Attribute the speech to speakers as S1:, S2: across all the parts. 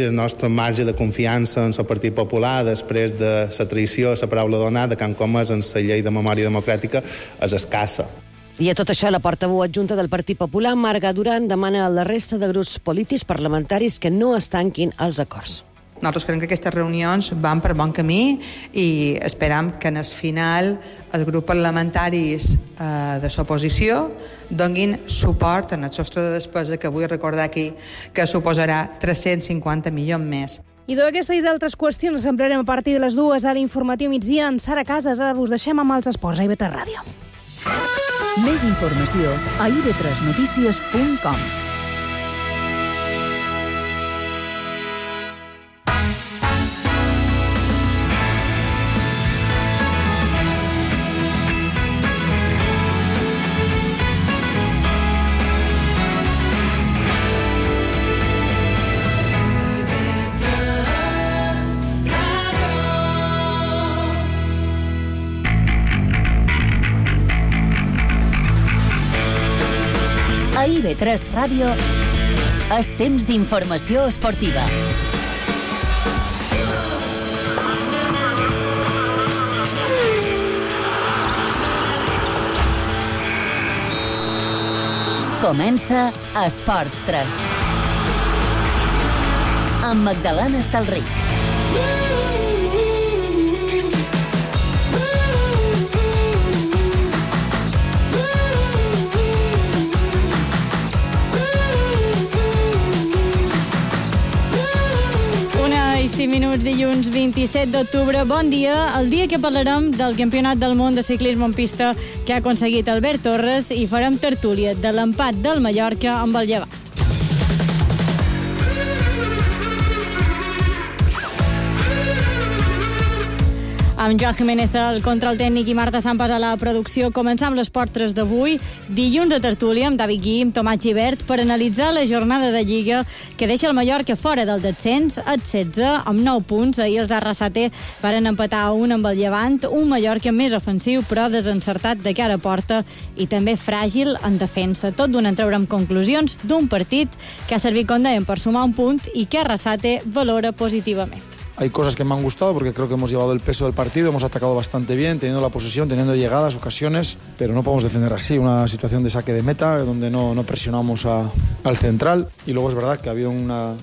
S1: El nostre marge de confiança en el Partit Popular després de la traïció, la paraula donada que han comès en la llei de memòria democràtica és escassa.
S2: I a tot això, la portaveu adjunta del Partit Popular, Marga Duran, demana a la resta de grups polítics parlamentaris que no es tanquin els acords.
S3: Nosaltres creiem que aquestes reunions van per bon camí i esperam que en el final els grups parlamentaris de l'oposició donin suport en el sostre de despesa que vull recordar aquí que suposarà 350 milions més.
S4: I d'aquesta i d'altres qüestions ens parlarem a partir de les 2 a l'Informatiu Migdia. En Sara Casas, ara us deixem amb els esports a IB3 Ràdio.
S5: Més informació a ib3notícies.com. A IB3 Ràdio és temps d'informació esportiva. Comença Esports 3 amb Magdalena Estalric.
S4: Minuts, dilluns 27 d'octubre. Bon dia, el dia que parlarem del Campionat del Món de ciclisme en pista que ha aconseguit Albert Torres i farem tertúlia de l'empat del Mallorca amb el Llevant. Amb Joan Jiménez al control tècnic i Marta Sampas a la producció, començam l'Esport 3 d'avui, dilluns de tertúlia amb David Guim, Tomàs Gibert, per analitzar la jornada de Lliga que deixa el Mallorca fora del descens, el 16, amb 9 punts. Ahir els d'Arrasate varen empatar un amb el Llevant, un Mallorca més ofensiu però desencertat de cara a porta i també fràgil en defensa. Tot donant treure amb conclusions d'un partit que ha servit, com dèiem, per sumar un punt i que Arrasate valora positivament.
S6: Hay cosas que me han gustado porque creo que hemos llevado el peso del partido, hemos atacado bastante bien, teniendo la posesión, teniendo llegadas, ocasiones, pero no podemos defender así. Una situación de saque de meta donde no presionamos al central y luego es verdad que ha habido una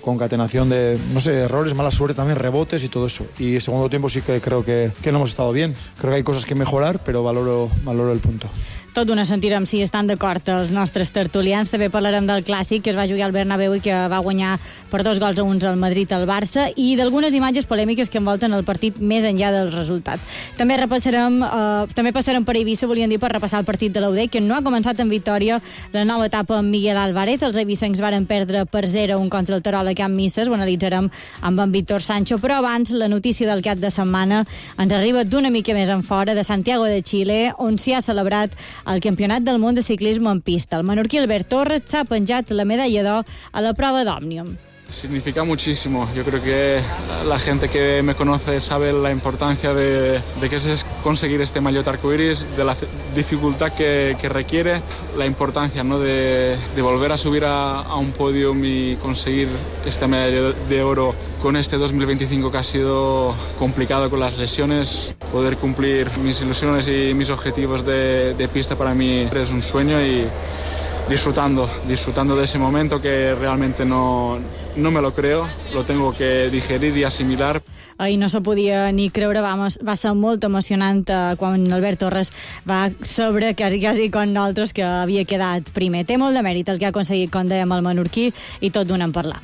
S6: concatenación de, no sé, errores, mala suerte también, rebotes y todo eso. Y el segundo tiempo sí que creo que no hemos estado bien. Creo que hay cosas que mejorar, pero valoro el punto.
S4: Tot d'una sentirem si estan d'acord els nostres tertulians. També parlarem del clàssic que es va jugar al Bernabéu i que va guanyar per 2-1 al Madrid al Barça i d'algunes imatges polèmiques que envolten el partit més enllà del resultat. També passarem per Eivissa, volien dir, per repassar el partit de l'UD, que no ha començat en victòria la nova etapa amb Miguel Álvarez. Els eivissencs varen perdre per 0-1 contra el Terol a Camp Misses. Ho analitzarem amb en Víctor Sancho, però abans la notícia del cap de setmana ens arriba d'una mica més en fora, de Santiago de Chile, on s'hi ha celebrat el Campionat del Món de ciclisme en pista. El menorquí Albert Torres s'ha penjat la medalla d'or a la prova d'Òmnium.
S7: Significa muchísimo. Yo creo que la gente que me conoce sabe la importancia de qué es conseguir este maillot arcoiris, de la dificultad que requiere, la importancia, ¿no?, de volver a subir a un podium y conseguir esta medalla de oro con este 2025 que ha sido complicado con las lesiones. Poder cumplir mis ilusiones y mis objetivos de pista para mí es un sueño y disfrutando de ese momento que realmente no me lo creo, lo tengo que digerir y asimilar.
S4: Ahir no se podia ni creure, va ser molt emocionant quan Albert Torres va saber quasi com nosaltres que havia quedat primer. Té molt de mèrit el que ha aconseguit, com dèiem, el menorquí, i tot d'una en parlar.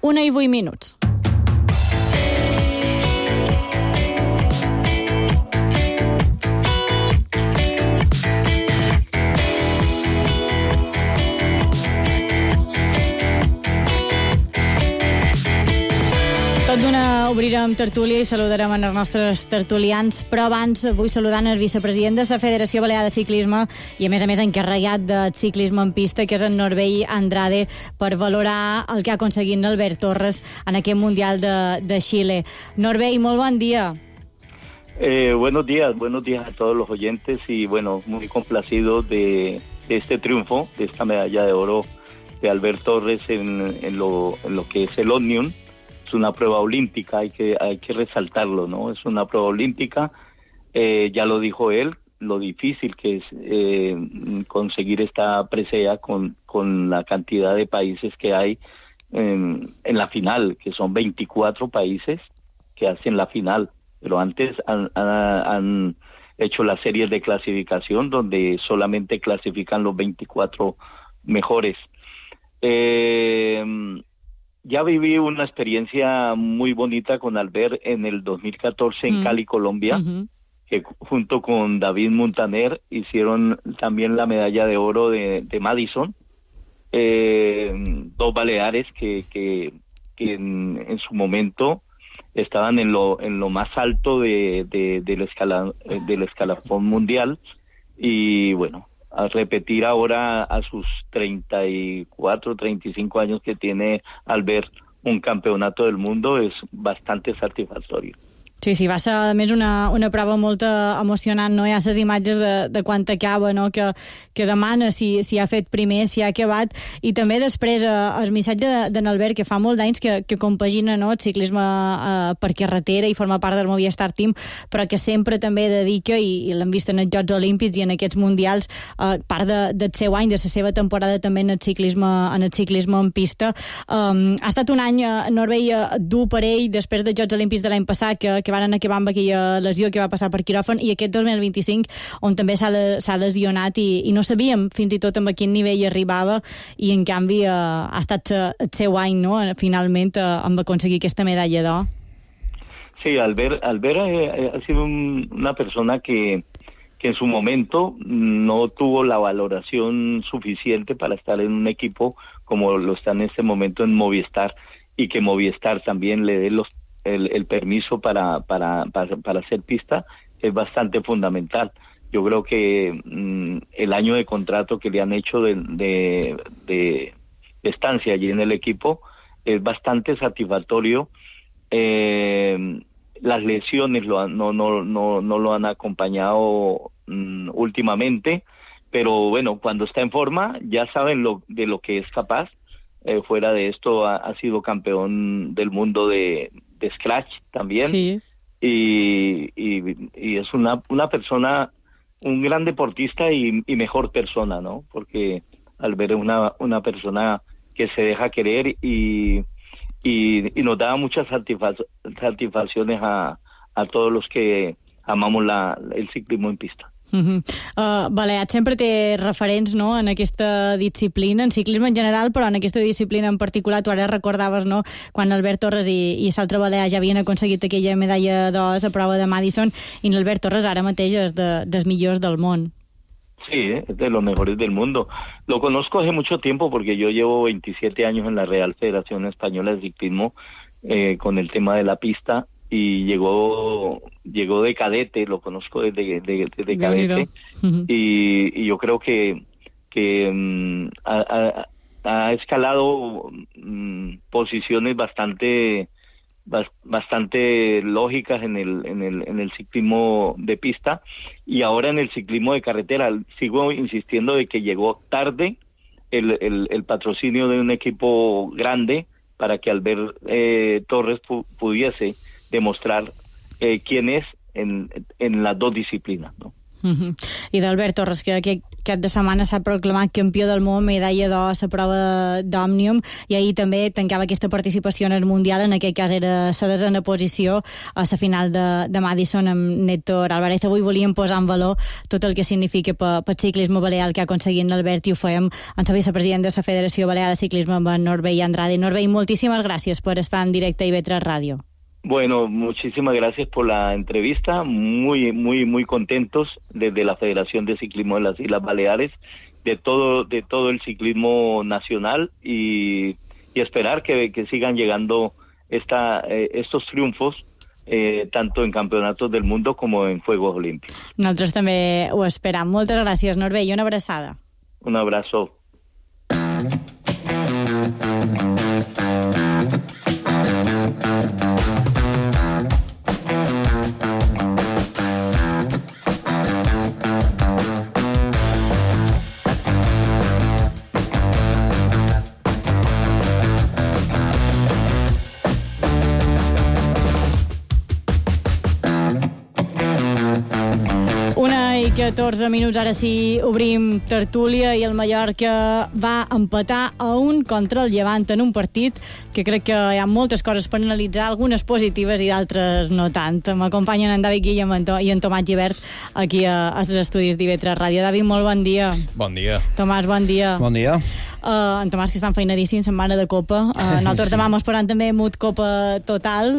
S4: 1:08. Tot d'una obrirem tertúlia i saludarem els nostres tertulians, però abans vull saludar el vicepresident de la Federació Balear de Ciclisme i a més encarregat de ciclisme en pista, que és en Norbey Andrade, per valorar el que ha aconseguit Albert Torres en aquest Mundial de Xile. Norbey, molt bon dia.
S8: Buenos días a todos los oyentes y bueno, muy complacido de este triunfo, de esta medalla de oro de Albert Torres en lo que es el Omnium. Es una prueba olímpica, hay que resaltarlo, ¿no? Es una prueba olímpica, ya lo dijo él, lo difícil que es conseguir esta presea con la cantidad de países que hay en la final, que son 24 países que hacen la final, pero antes han hecho las series de clasificación donde solamente clasifican los 24 mejores. Ya viví una experiencia muy bonita con Albert en el 2014 en Cali, Colombia, que junto con David Montaner hicieron también la medalla de oro de Madison, dos baleares que en su momento estaban en lo más alto del escalafón mundial, y bueno, a repetir ahora a sus 34, 35 años que tiene Albert un campeonato del mundo es bastante satisfactorio.
S4: Sí, va ser a més una prova molt emocionant, no? Hi ha les imatges de quan acaba, no? Que demana si ha fet primer, si ha acabat, i també després el missatge d'en Albert, que fa molt d'anys que compagina, no, el ciclisme per carretera i forma part del Movistar Team, però que sempre també dedica, i l'hem vist en els Jocs Olímpics i en aquests Mundials, part del seu any, de la seva temporada també en el ciclisme en pista. Ha estat un any, Norbey, dur per ell després dels Jocs Olímpics de l'any passat, que van acabar amb aquella lesió que va passar per quiròfan, i aquest 2025 on també s'ha lesionat i no sabíem fins i tot amb a quin nivell arribava, i en canvi ha estat el seu any, no? Finalment amb aconseguir aquesta medalla d'or.
S8: Sí, Albert ha sido una persona que en su momento no tuvo la valoración suficiente para estar en un equipo como lo está en este momento en Movistar, y que Movistar también le dé el permiso para hacer pista es bastante fundamental. Yo creo que el año de contrato que le han hecho de estancia allí en el equipo es bastante satisfactorio. Las lesiones no lo han acompañado últimamente, pero bueno, cuando está en forma ya saben de lo que es capaz. Fuera de esto ha sido campeón del mundo de Scratch también, sí. y es una persona, un gran deportista y mejor persona, ¿no? Porque Albert es una persona que se deja querer y nos da muchas satisfacciones a todos los que amamos el ciclismo en pista.
S4: Baleat sempre té referents, no?, en aquesta disciplina, en ciclisme en general, però en aquesta disciplina en particular. Tu ara recordaves, no?, quan Albert Torres i l'altre balear ja havien aconseguit aquella medalla d'or a prova de Madison, i Albert Torres ara mateix és dels millors del món.
S8: Sí, es de los mejores del mundo. Lo conozco hace mucho tiempo porque yo llevo 27 años en la Real Federación Española de Ciclismo con el tema de la pista, y llegó de cadete, lo conozco desde cadete, y yo creo que ha escalado posiciones bastante lógicas en el ciclismo de pista, y ahora en el ciclismo de carretera. Sigo insistiendo de que llegó tarde el patrocinio de un equipo grande para que Albert Torres pudiese demostrar quién es en las dos disciplinas, ¿no?
S4: I d'Albert Torres, que aquest cap de setmana s'ha proclamat campió del món, medalla d'or a la prova d'Òmnium, i ahir també tancava aquesta participació en el Mundial. En aquest cas era la 10a posició a la final de Madison amb Néctor Álvarez. Avui volíem posar en valor tot el que significa pel ciclisme balear el que ha aconseguit l'Albert, i ho fèiem amb la vicepresident de la Federació Balear de Ciclisme, amb en Norbey Andrade. Norbey, moltíssimes gràcies per estar en directe a IB3 Ràdio.
S8: Bueno, muchísimas gracias por la entrevista. Muy, muy, muy contentos desde la Federación de Ciclismo de las Islas Baleares, de todo el ciclismo nacional, y esperar que sigan llegando estos triunfos, tanto en campeonatos del mundo como en Juegos Olímpicos.
S4: Nosaltres també ho esperam. Moltes gràcies, Norbey, i una abraçada.
S8: Un abrazo.
S4: 14 minuts, ara sí obrim tertúlia i el Mallorca va empatar a 1 contra el Llevant en un partit que crec que hi ha moltes coses per analitzar, algunes positives i d'altres no tant. M'acompanyen en David Guillem i en Tomàs Gibert aquí als estudis d'IV3 Ràdio. David, molt bon dia.
S9: Bon dia.
S4: Tomàs, bon dia.
S9: Bon dia.
S4: En Tomàs, que està enfeinadíssim, setmana de Copa. Nosaltres demà esperant també Mut Copa total.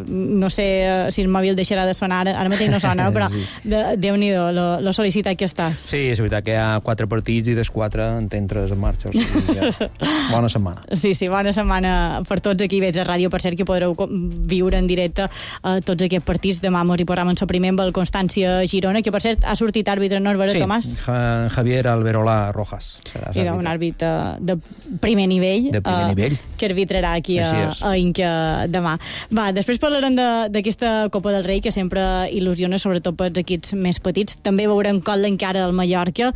S4: No sé si el mòbil deixarà de sonar, ara mateix no sona, però Déu-n'hi-do, lo sol·licitat que estàs.
S9: Sí, és veritat que hi ha 4 partits i dels 4 en tenen 3 en marxa. O sigui, bona setmana.
S4: Sí, bona setmana per tots aquí a IV3 Ràdio. Per cert, que podreu viure en directe tots aquests partits. Demà mos hi posarem en el primer amb el Constància Girona, que per cert ha sortit àrbitre, no és vera, Tomàs?
S9: Sí, Javier Alberola Rojas.
S4: I un àrbitre de primer nivell.
S9: De primer nivell.
S4: Que arbitrarà aquí a Inca demà. Va, després parlarem d'aquesta Copa del Rei, que sempre il·lusiona, sobretot pels equips més petits. També veurem com l'encara el Mallorca.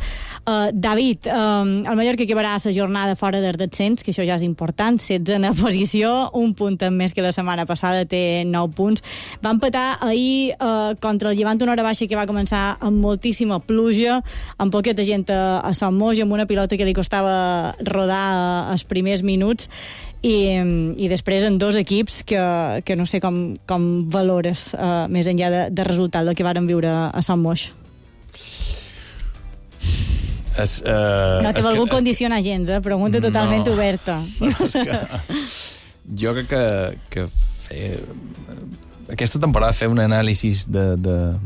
S4: David, el Mallorca acabarà la jornada fora del descens, que això ja és important, 16a posició, un punt més que la setmana passada, té 9 punts. Va empatar ahir contra el Llevant, una hora baixa que va començar amb moltíssima pluja, amb poqueta gent a Sant Moix, amb una pilota que li costava rodar els primers minuts, i després en 2 equips que no sé com valores més enllà de resultat el que varen viure a Sant Moix. No t'he volgut condicionar gens, pregunta totalment oberta.
S9: Jo crec que aquesta temporada fer un anàlisi de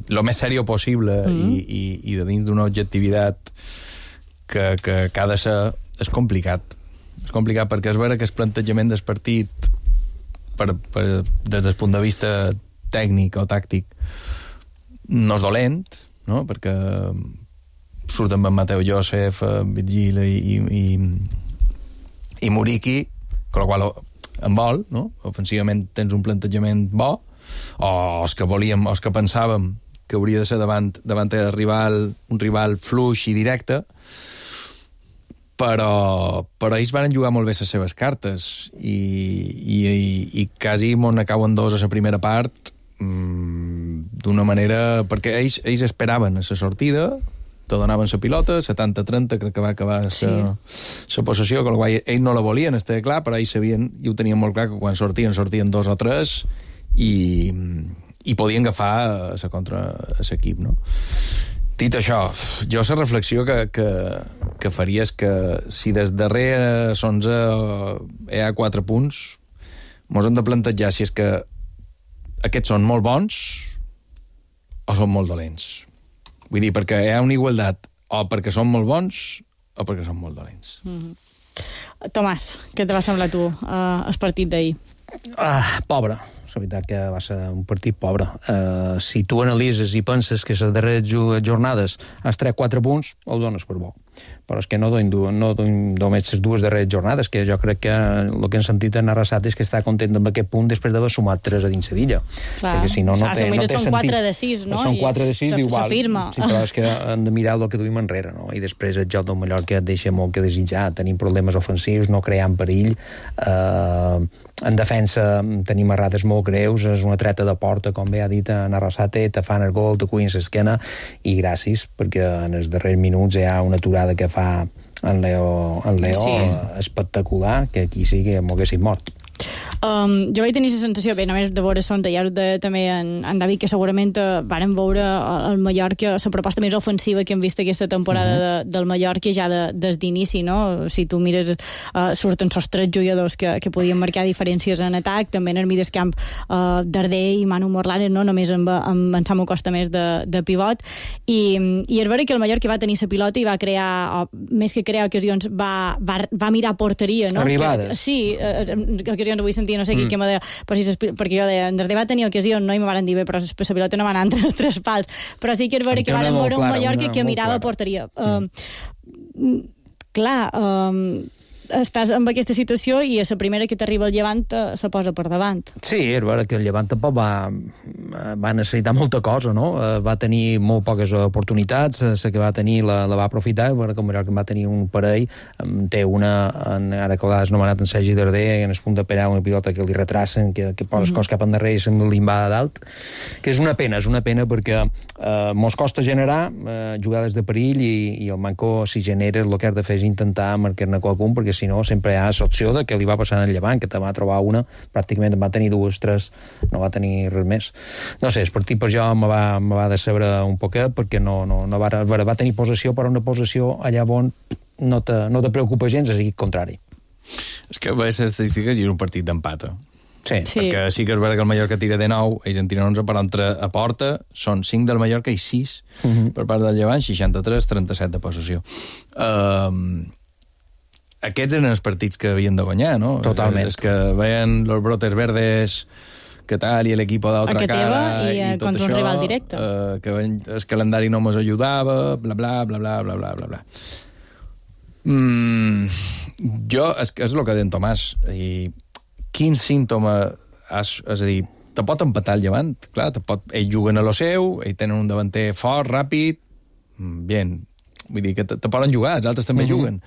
S9: lo més seriós possible i de dins d'una objectivitat que ha de ser és complicat. És complicat perquè és vera que el plantejament del partit des del punt de vista tècnic o tàctic no és dolent, no? Perquè surten amb Mateu Josef, Virgil i Muriqui, amb la qual en vol, no? Ofensivament tens un plantejament bo, o els que pensàvem que hauria de ser davant un rival fluix i directe, però ells van jugar molt bé les seves cartes i quasi m'on acaben 2 a la primera part d'una manera, perquè ells esperaven a la sortida, te donaven la pilota, 70-30 crec que va acabar la possessió, amb la qual ells no la volien, estava clar, però ells sabien i ho tenien molt clar que quan sortien 2 o 3 i podien agafar contra l'equip, no? Dit això, jo la reflexió que faria és que si des darrere hi ha 4 punts, mos hem de plantejar si és que aquests són molt bons o són molt dolents. Vull dir, perquè hi ha una igualtat o perquè són molt bons o perquè són molt dolents.
S4: Tomàs, què te va semblar tu el partit d'ahir?
S10: Pobre. La veritat que va ser un partit pobre. Si tu analitzes i penses que les darreres jornades has tret 4 punts, ho dones per bo. Però és que no només les 2 darreres jornades, que jo crec que el que hem sentit en Arrasat és que està content amb aquest punt després d'haver sumat 3 a dins Sevilla. Perquè si no té sentit.
S4: Són 4 de 6, no?
S10: Són 4 de 6, igual.
S4: S'afirma.
S10: Sí, però és que hem de mirar el que duim enrere, no? I després el joc del Mallorca et deixa molt que desitjar. Tenim problemes ofensius, no creant perill. En defensa tenim errades molt greus, és una treta de porta, com bé ha dit en Arrasate, te fan el gol, te cuin l'esquena, i gràcies, perquè en els darrers minuts hi ha una aturada que fa en Leo espectacular, que aquí sí que m'ho haguessin mort.
S4: Jo vaig tenir la sensació, bé, només de veure Son, ja també en David, que segurament varen veure el Mallorca, la proposta més ofensiva que hem vist aquesta temporada del Mallorca ja des d'inici, no? Si tu mires, surten els 3 jugadors que podien marcar diferències en atac, també en el mig del camp Darder i Manu Morlanes, no? Només amb en Samu Costa més de pivot, i és vera que el Mallorca va tenir la pilota i va crear, més que crear ocasions, va mirar porteria, no?
S10: Arribades.
S4: Sí, ocasions avui sentia no sé qui que me deia, perquè jo deia, en Darder va tenir ocasió, no? I me van dir, bé, però la pilota no va anar entre els 3 pals, però sí que és vera que van veure un Mallorca que mirava porteria. Clar, estàs en aquesta situació i a la primera que t'arriba el Llevant se posa per davant.
S10: Sí, és veritat que el Llevant tampoc va necessitar molta cosa, no? Va tenir molt poques oportunitats, la que va tenir la va aprofitar, com que va tenir un parell, té una, ara que l'has nomenat en Sergi Darder, en el punt de penal, una pilota que li retracen, que posa les coses cap endarrere i se'm limbada dalt, que és una pena perquè mos costa generar jugades de perill i el Manco, si genera, el que has de fer és intentar marcar-ne qualcun, perquè si no sempre hi ha l'opció de que li va passar en el Llevant, que te va trobar una, pràcticament va tenir 2, 3, no va tenir res més. No sé, el partit per jo me va decebre un poquet, perquè no va tenir possessió, però una possessió allà on no te preocupa gens, és el contrari.
S9: És que veus les estadístiques i és un partit d'empat.
S10: Sí.
S9: Perquè sí que és veritat que el Mallorca tira de 9, ells en tiren 11, però entre a porta són 5 del Mallorca i 6 per part del Llevant, 63-37 de possessió. Aquests eren els partits que havien de guanyar, no?
S10: Totalment.
S9: És que veien los brotes verdes, que tal, i l'equip d'altra cara,
S4: i tot contra
S9: això,
S4: un rival directe.
S9: que el calendari no mos ajudava, bla, bla, bla, bla, bla, bla, bla, bla. Jo, és el que deia en Tomàs, i quin símptoma és a dir, te pot empatar el Llevant, clar, ells juguen a lo seu, ells tenen un davanter fort, ràpid, bien, vull dir que te poden jugar, els altres també juguen.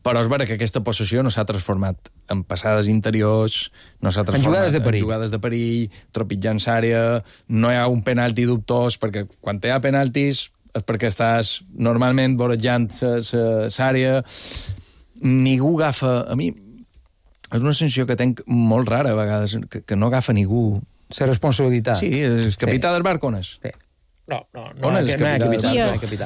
S9: Però és vera que aquesta possessió no s'ha transformat en passades interiors, no s'ha transformat en jugades de perill, tropitjant l'àrea, no hi ha un penalti dubtós, perquè quan hi ha penaltis és perquè estàs normalment vorejant l'àrea, ningú agafa... A mi és una sensació que tenc molt rara a vegades, que no agafa ningú.
S10: La responsabilitat.
S9: Sí, és capità del barc, on és?
S10: Sí. No
S9: és
S10: capità.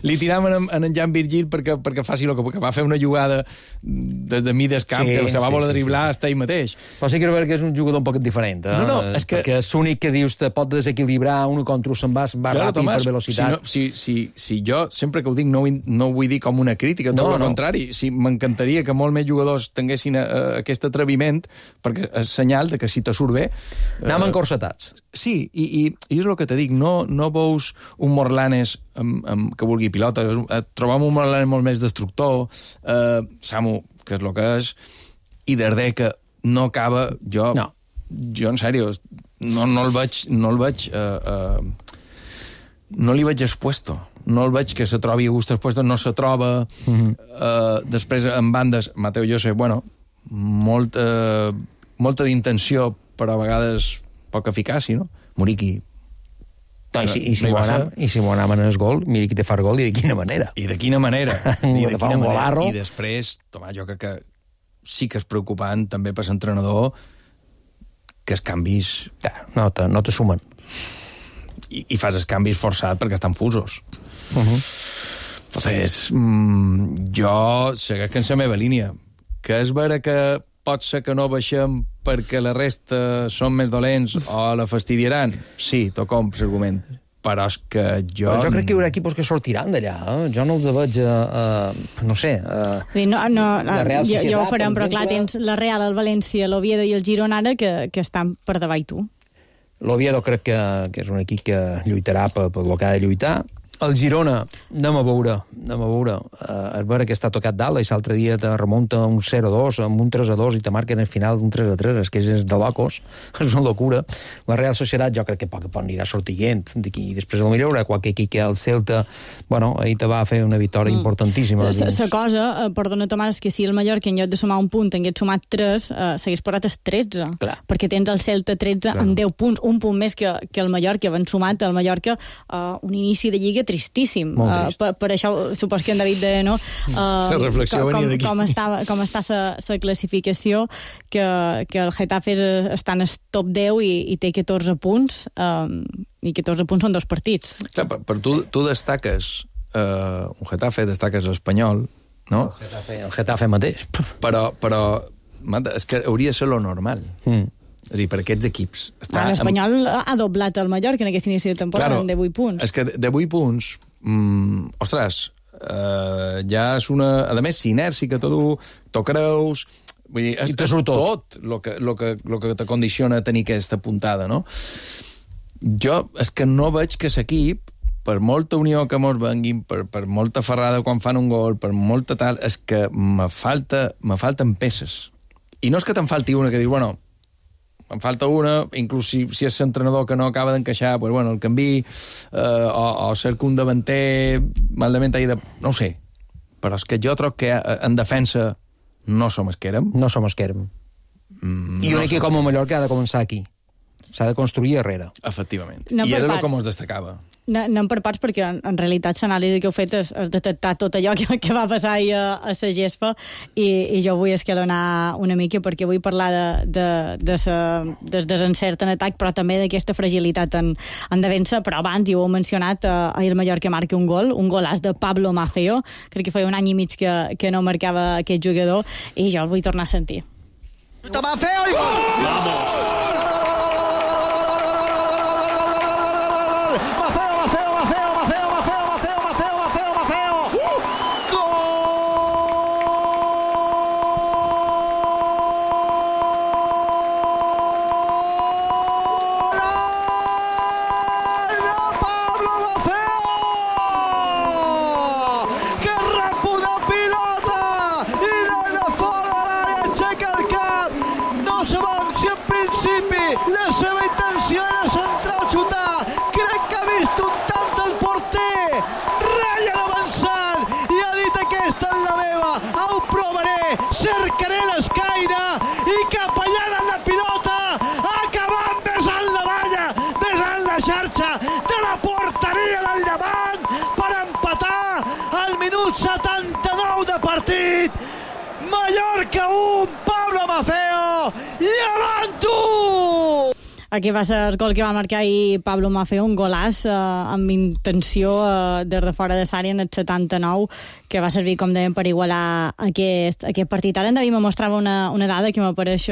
S9: Li tiraven en Jan Virgil perquè faci el que va fer una jugada des de mig del camp, que se va voler driblar hasta ell mateix.
S10: Però sí que és un jugador un poc diferent.
S9: No, és que...
S10: Perquè és l'únic que dius te pot desequilibrar un contra un, se'n va ràpid per velocitat.
S9: Si jo, sempre que ho dic, no ho vull dir com una crítica, tot el contrari. M'encantaria que molt més jugadors tinguessin aquest atreviment, perquè és senyal de que si te surt bé...
S10: Anem encorsetats.
S9: Sí, i és el que te dic, no veus un Morlanes que vulgui pilota, trobam un Morlanes molt més destructor, Samu, que és el que és, i Darder, que no acaba, jo en sèrio, no el veig no li veig expuesto, no el veig que se trobi a gust expuesto, no se troba. Després, en bandes, Mateu José, molta d'intenció, però a vegades poc eficaç, no? Muriqui.
S10: I si m'ho anaven en el gol, mira qui te fa el gol i de quina manera.
S9: I de quina manera. I després, Tomàs, jo crec que sí que és preocupant també per l'entrenador que els canvis...
S10: No te sumen.
S9: I fas els canvis forçats perquè estan fusos. Entonces, jo segueix en la meva línia. Que és vera que pot ser que no baixem perquè la resta són més dolents o la fastidiaran. Sí, t'ho compro, l'argument. Però és que jo...
S10: Però jo crec que hi haurà equips que sortiran d'allà. Jo no els veig, no sé...
S4: Jo ho farem, però clar, tens la Real, el València, l'Oviedo i el Girona ara que estan per davall tu.
S10: L'Oviedo crec que és un equip que lluitarà per el que ha de lluitar. El Girona, anem a veure. És vera que està tocat dalt, i l'altre dia te remunta un 0-2, amb un 3-2, i te marquen al final un 3-3, és que és de locos, és una locura. La Real Societat jo crec que poc anirà sortint d'aquí, i després potser hi haurà qualque equip que el Celta, ahir te va fer una victòria importantíssima.
S4: La cosa, perdona Tomàs, és que si el Mallorca en lloc de sumar un punt hagués sumat 3, s'hagués posat els 13, perquè tens el Celta 13 amb 10 punts, un punt més que el Mallorca, van sumat el Mallorca un inici de Lliga tristíssim. Per això supos que en David deia, no?
S9: La reflexió venia d'aquí.
S4: Com està la classificació, que el Getafe està en el top 10 i té 14 punts, i 14 punts són 2 partits.
S9: Clar, per tu destaques un Getafe, destaques l'Espanyol, no?
S10: El Getafe mateix.
S9: Però és que hauria de ser lo normal. És a dir, per aquests equips...
S4: L'Espanyol ha doblat el Mallorca en aquest inici de temporada, de 8 punts.
S9: És que de 8 punts, ostres, ja és una... A més, si inèrcia que t'ho creus... Vull dir, és tot el que te condiciona a tenir aquesta puntada, no? Jo és que no veig que l'equip per molta unió que mos venguin, per molta ferrada quan fan un gol, per molta tal, és que me falten peces. I no és que te'n falti una que diu, bueno, em falta una, inclús si és l'entrenador que no acaba d'encaixar, pues, bueno, el canvi, o cerca un davanter malament no ho sé. Però és que jo trobo que en defensa no som els que érem.
S10: No som els que érem. I un equip com el Mallorca ha de començar aquí. S'ha de construir darrere.
S9: Efectivament. I era el que mos destacava.
S4: No per parts, perquè en realitat l'anàlisi que heu fet és detectar tot allò que va passar ahir a la gespa, i jo vull escalonar una mica, perquè vull parlar del desencert en atac, però també d'aquesta fragilitat en defensa. Però abans, ja ho heu mencionat, ahir el Mallorca marca un golaç de Pablo Maffeo. Crec que feia un any i mig que no marcava aquest jugador, i jo el vull tornar a sentir.
S11: Maffeo i gol! ¡Vamos! La seva intenció era centrar o xutar. Crec que ha vist un tant el porter. Ryan avançant i ha dit: aquesta és la meva, ho provaré, cercaré l'escaire i cap allà en la pilota, acabant besant la valla, besant la xarxa de la porteria del Llevant per empatar al minut 79 de partit. Mallorca 1, Pablo Maffeo, Llevant 1!
S4: Aquí va ser el gol que va marcar ahir Pablo Maffeo, un golàs amb intenció des de fora de l'àrea en el 79, que va servir, com dèiem, per igualar aquest partit. Ara en David me mostrava una dada que m'apareix,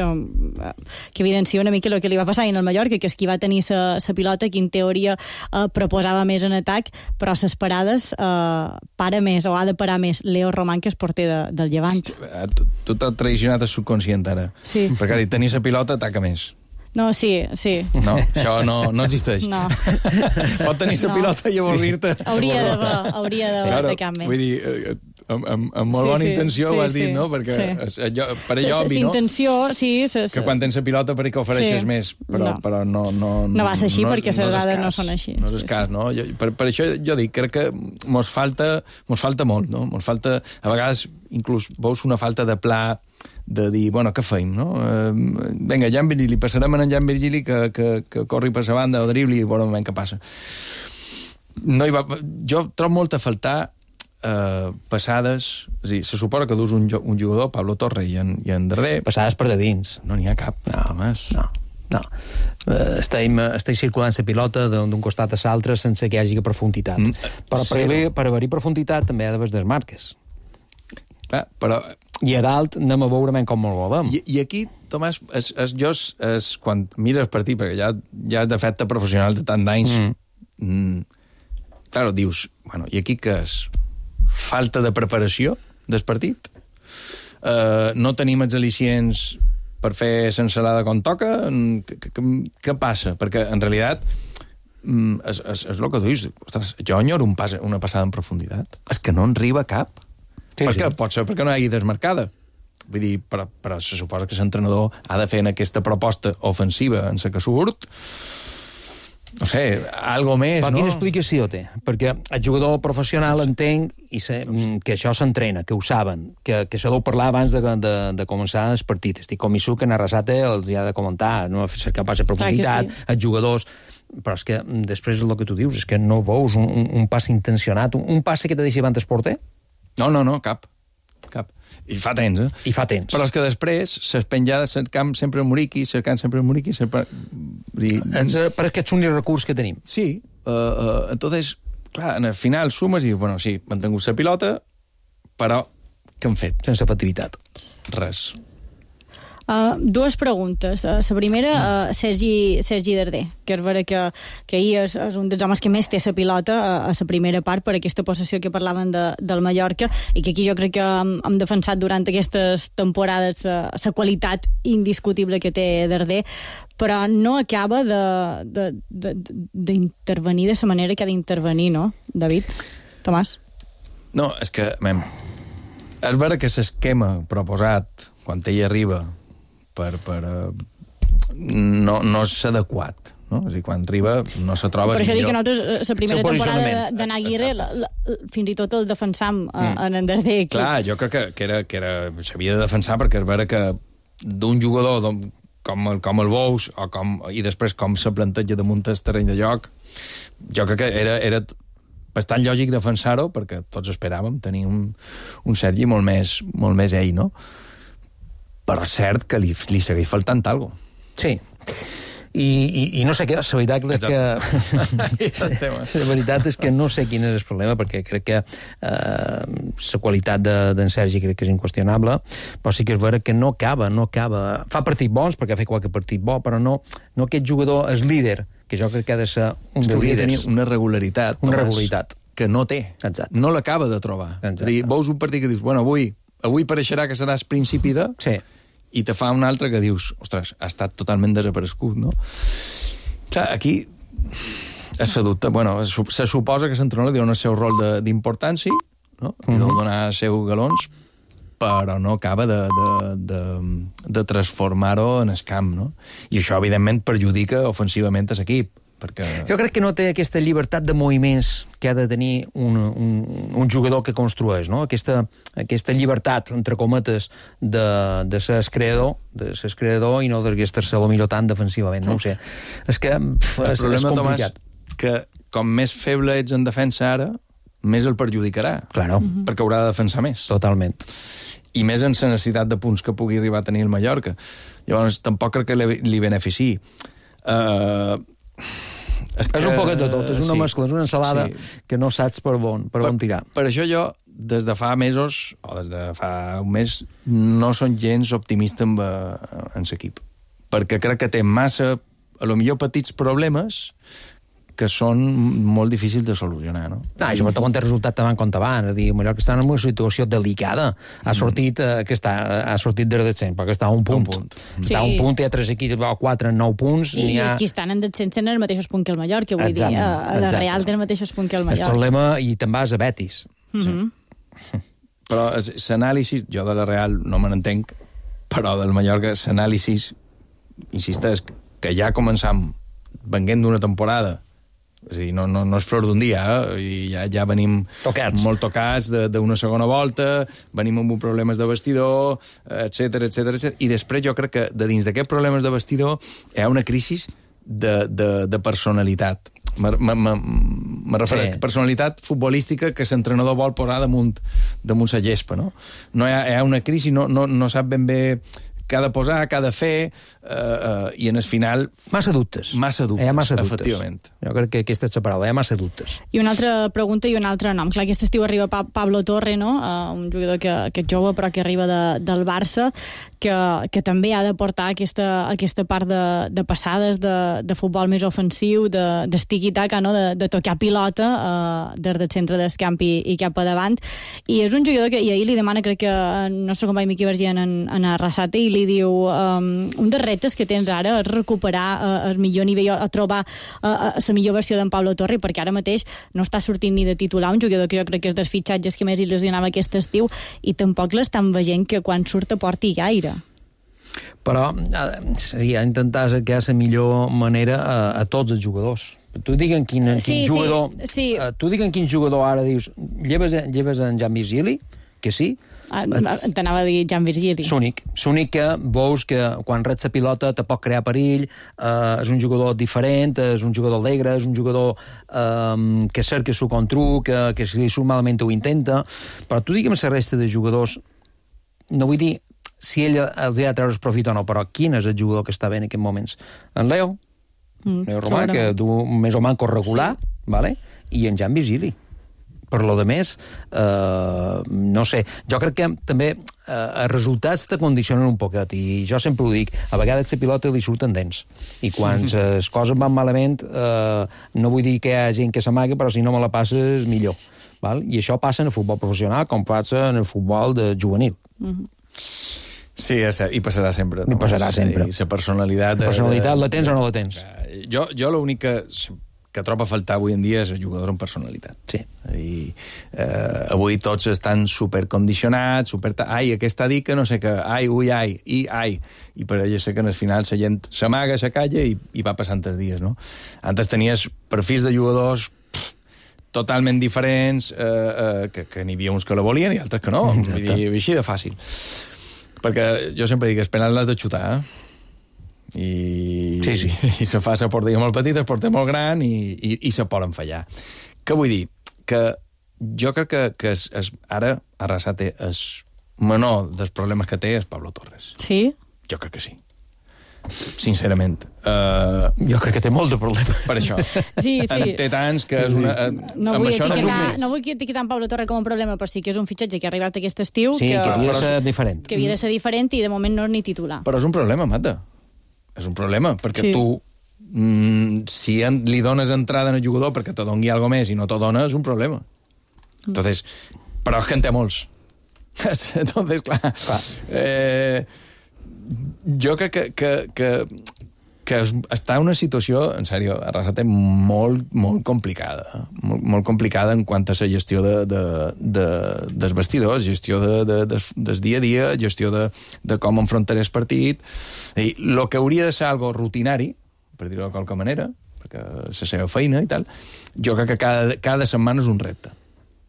S4: que evidencia una mica el que li va passar en el Mallorca, que és qui va tenir la pilota, que en teoria proposava més en atac, però a les parades para més, o ha de parar més Leo Román, que és porter del Llevant.
S9: Tu t'has traicionat el subconscient ara.
S4: Sí.
S9: Perquè tenir la pilota ataca més.
S4: No, sí.
S9: No, això no existeix.
S4: No.
S9: Pot tenir la pilota i avorrir-te.
S4: Hauria d'haver atacar més.
S9: Vull dir, amb molt bona intenció ho has dit, no? Perquè per allò obvi, no?
S4: Intenció, sí.
S9: Que quan tens la pilota per que ofereixes més, però no...
S4: No va ser així, perquè les dades no són així.
S9: No és el cas, no? Per això jo dic, crec que mos falta molt, no? Mos falta, a vegades, inclús veus una falta de pla de dir, bueno, què feim, no? Vinga, Jan Virgili, passarem en Jan Virgili que corri per la banda o dribli i veurem què passa. Jo trobo molt a faltar passades, és a dir, se suposa que dus un jugador, Pablo Torre i en darrer...
S10: Passades per de dins.
S9: No n'hi ha cap.
S10: No. Estem circulant la pilota d'un costat a l'altre sense que hi hagi profunditat. Però per haver-hi profunditat també ha d'haver desmarques.
S9: Però...
S10: I a dalt anem a veure com el movem.
S9: I aquí, Tomàs, quan mires el partit, perquè ja és de fet professional de tant d'anys, claro, dius, bueno, i aquí què és? Falta de preparació del partit? No tenim els al·licients per fer l'ensalada com toca? Què passa? Perquè, en realitat, és el que tu dius. Ostres, jo enyoro una passada en profunditat. És que no en arriba cap. Perquè pot ser perquè no hi hagi desmarcada. Vull dir, però se suposa que l'entrenador ha de fer en aquesta proposta ofensiva en la que surt, no sé, algo més,
S10: però
S9: no?
S10: Quina explicació té? Perquè el jugador professional entenc que això s'entrena, que ho saben, que això deu parlar abans de començar el partit. Estic convençut que en Arrasate els hi ha de comentar, no cercar pas de profunditat, els jugadors... Però és que després és el que tu dius, és que no veus un pas intencionat, un pas que te deixi abans el porter?
S9: No, cap. I fa temps, eh?
S10: I fa temps.
S9: Però és que després, les penjades cercant sempre el Muriqui,
S10: per aquest únic recurs que tenim.
S9: Sí. Entonces, clar, al final sumes i, bueno, sí, hem tingut la pilota, però què hem fet?
S10: Sense efectivitat.
S9: Res.
S4: Dues preguntes. La primera, Sergi Darder, que és vera que ahir és un dels homes que més té la pilota a la primera part per aquesta possessió que parlaven del Mallorca, i que aquí jo crec que hem defensat durant aquestes temporades la qualitat indiscutible que té Darder, però no acaba d'intervenir de la manera que ha d'intervenir, no, David? Tomàs?
S9: No, és que, és vera que l'esquema proposat quan ell arriba no és adequat, no? És a dir, quan arriba no se troba...
S4: Per això dic que
S9: millor...
S4: nosaltres, la primera temporada d'Anna Aguirre, fins i tot el defensam en Darder.
S9: Clar, jo crec que s'havia de defensar, perquè és vera que d'un jugador com el Bous, i després com se planteja damunt el terreny de joc, jo crec que era bastant lògic defensar-ho, perquè tots esperàvem tenir un Sergi molt més ell, no? Però és cert que li segueix faltant alguna cosa.
S10: Sí. I no sé què, la veritat és que... La veritat és que no sé quin és el problema, perquè crec que la qualitat d'en Sergi crec que és inqüestionable, però sí que és vera que no acaba. Fa partits bons, perquè ha fet qualque partit bo, però no aquest jugador és líder, que jo crec que ha de ser un dels líders.
S9: Hauria de tenir una regularitat que no té.
S10: Exacte.
S9: No l'acaba de trobar. És a dir, veus un partit que dius, bueno, avui pareixerà que seràs principi de...
S10: Sí.
S9: I te fa un altre que dius, ostres, ha estat totalment desaparegut, no? Clar, aquí se dubta, se suposa que l'entrenador li dona el seu rol d'importància, no? Li deu donar els seus galons, però no acaba de transformar-ho en el camp, no? I això, evidentment, perjudica ofensivament a l'equip, perquè...
S10: Jo crec que no té aquesta llibertat de moviments que ha de tenir un jugador que construeix, no? Aquesta llibertat, entre cometes, de ser creador i no d'estar-se-lo millor tant defensivament, no ho sé. És que és complicat.
S9: Tomàs, que com més feble ets en defensa ara, més el perjudicarà.
S10: Claro.
S9: Perquè haurà de defensar més.
S10: Totalment.
S9: I més en la necessitat de punts que pugui arribar a tenir el Mallorca. Llavors, tampoc crec que li beneficiï.
S10: És un poquet de tot, és una mescla, és una ensalada que no saps per on tirar. Per
S9: això jo, des de fa mesos, o des de fa un mes, no som gens optimista en l'equip. Perquè crec que té massa, a lo millor petits problemes, que són molt difícils de solucionar, no?
S10: I sobretot quan té resultat davant com davant. És a dir, el Mallorca està en una situació delicada. Ha sortit de descens, perquè està a un punt. Està a un punt, hi ha 3 equips, 4 en 9 punts.
S4: I els que estan en descens tenen el mateix punt que el Mallorca, vull dir, a la Real té el mateix punt que el Mallorca.
S10: És el problema, i te'n vas a Betis.
S9: Però l'anàlisi, jo de la Real no me n'entenc, però del Mallorca, l'anàlisi, insisteix, que ja començam venguent d'una temporada. És a dir, no és flor d'un dia, i ja venim molt tocats d'una segona volta, venim amb problemes de vestidor, etc. I després jo crec que de dins d'aquests problemes de vestidor hi ha una crisi de personalitat. Me refereixo a personalitat futbolística que l'entrenador vol posar damunt la gespa, no? Hi ha una crisi, no sap ben bé què ha de posar, què ha de fer, i en el final...
S10: Massa dubtes.
S9: Efectivament.
S10: Jo crec que aquesta és la paraula, massa dubtes.
S4: I una altra pregunta i un altre nom. Clar, aquest estiu arriba Pablo Torre, no? Un jugador que és jove però que arriba del Barça, que també ha de portar aquesta part de passades, de futbol més ofensiu, d'estigui-taca, no? De tocar pilota des del centre del camp i cap a davant. I és un jugador que, i ahir li demana, crec que el nostre company Miqui Vergent en Arrasate, i li diu, un dels reptes que tens ara és recuperar el millor nivell, o trobar la millor versió d'en Pablo Torre, perquè ara mateix no està sortint ni de titular, un jugador que jo crec que és dels fitxatges que més il·lusionava aquest estiu, i tampoc l'estan veient que quan surt aporti gaire.
S10: Però sí, ha d'intentar cercar la millor manera a tots els jugadors. Tu diguen quin jugador... Tu diguen quin jugador ara dius, lleves en Jan Virgili, que sí.
S4: T'anava a dir Jan Virgili.
S10: L'únic que veus que quan rets la pilota te pot crear perill, és un jugador diferent, és un jugador alegre, és un jugador que cerca el contrac, que si li surt malament ho intenta, però tu digue'm la resta de jugadors, no vull dir si ell els ha de treure el profit o no, però quin és el jugador que està bé en aquests moments? En Leo Romà, que du més o manco regular, vale? I en Jan Virgili. Per lo de més, no sé. Jo crec que també els resultats te condicionen un poquet, i jo sempre ho dic, a vegades la pilota li surten dents, i quan les coses van malament, no vull dir que hi ha gent que s'amaga, però si no me la passes, millor. Val? I això passa en el futbol professional com passa en el futbol de juvenil.
S9: Sí, i passarà sempre.
S10: I passarà sempre.
S9: La personalitat...
S10: La personalitat la tens o no la tens?
S9: Jo l'únic que trobo a faltar avui en dia és el jugador amb personalitat.
S10: Sí.
S9: I avui tots estan supercondicionats, ai, aquest ha dit que no sé què, ai, ui, ai, i per allò sé que en el final la gent s'amaga, se calla i va passant els dies, no? Antes tenies perfils de jugadors totalment diferents, que n'hi havia uns que la volien i altres que no, vull dir, així de fàcil. Perquè jo sempre dic, esperant l'has de xutar, i se fa la porteria molt petita, es porta molt gran i se poden fallar. Què vull dir? Que jo crec que ara Arrasate és menor dels problemes que té és Pablo Torres.
S4: Sí?
S9: Jo crec que sí. Sincerament.
S10: Jo crec que té molt de problemes.
S9: Per això.
S4: Sí.
S9: Té tants que és una...
S4: No vull etiquetar en Pablo Torres com un problema, però sí que és un fitxatge que ha arribat aquest estiu
S10: que havia de ser diferent.
S4: Que havia de ser diferent i de moment no és ni titular.
S9: Però és un problema, Mata. És un problema, perquè tu, si li dones entrada en el jugador perquè te doni alguna més i no te dona, és un problema. Entonces, però és que en té molts. Entonces, clar. Jo crec que està en una situació, en sèrio, Arrasate, molt, molt complicada. Molt complicada en quant a la gestió dels vestidors, gestió del dia a dia, gestió de com enfrontar el partit. El que hauria de ser algo rutinari, per dir-ho de qualque manera, perquè és la seva feina i tal, jo crec que cada setmana és un repte.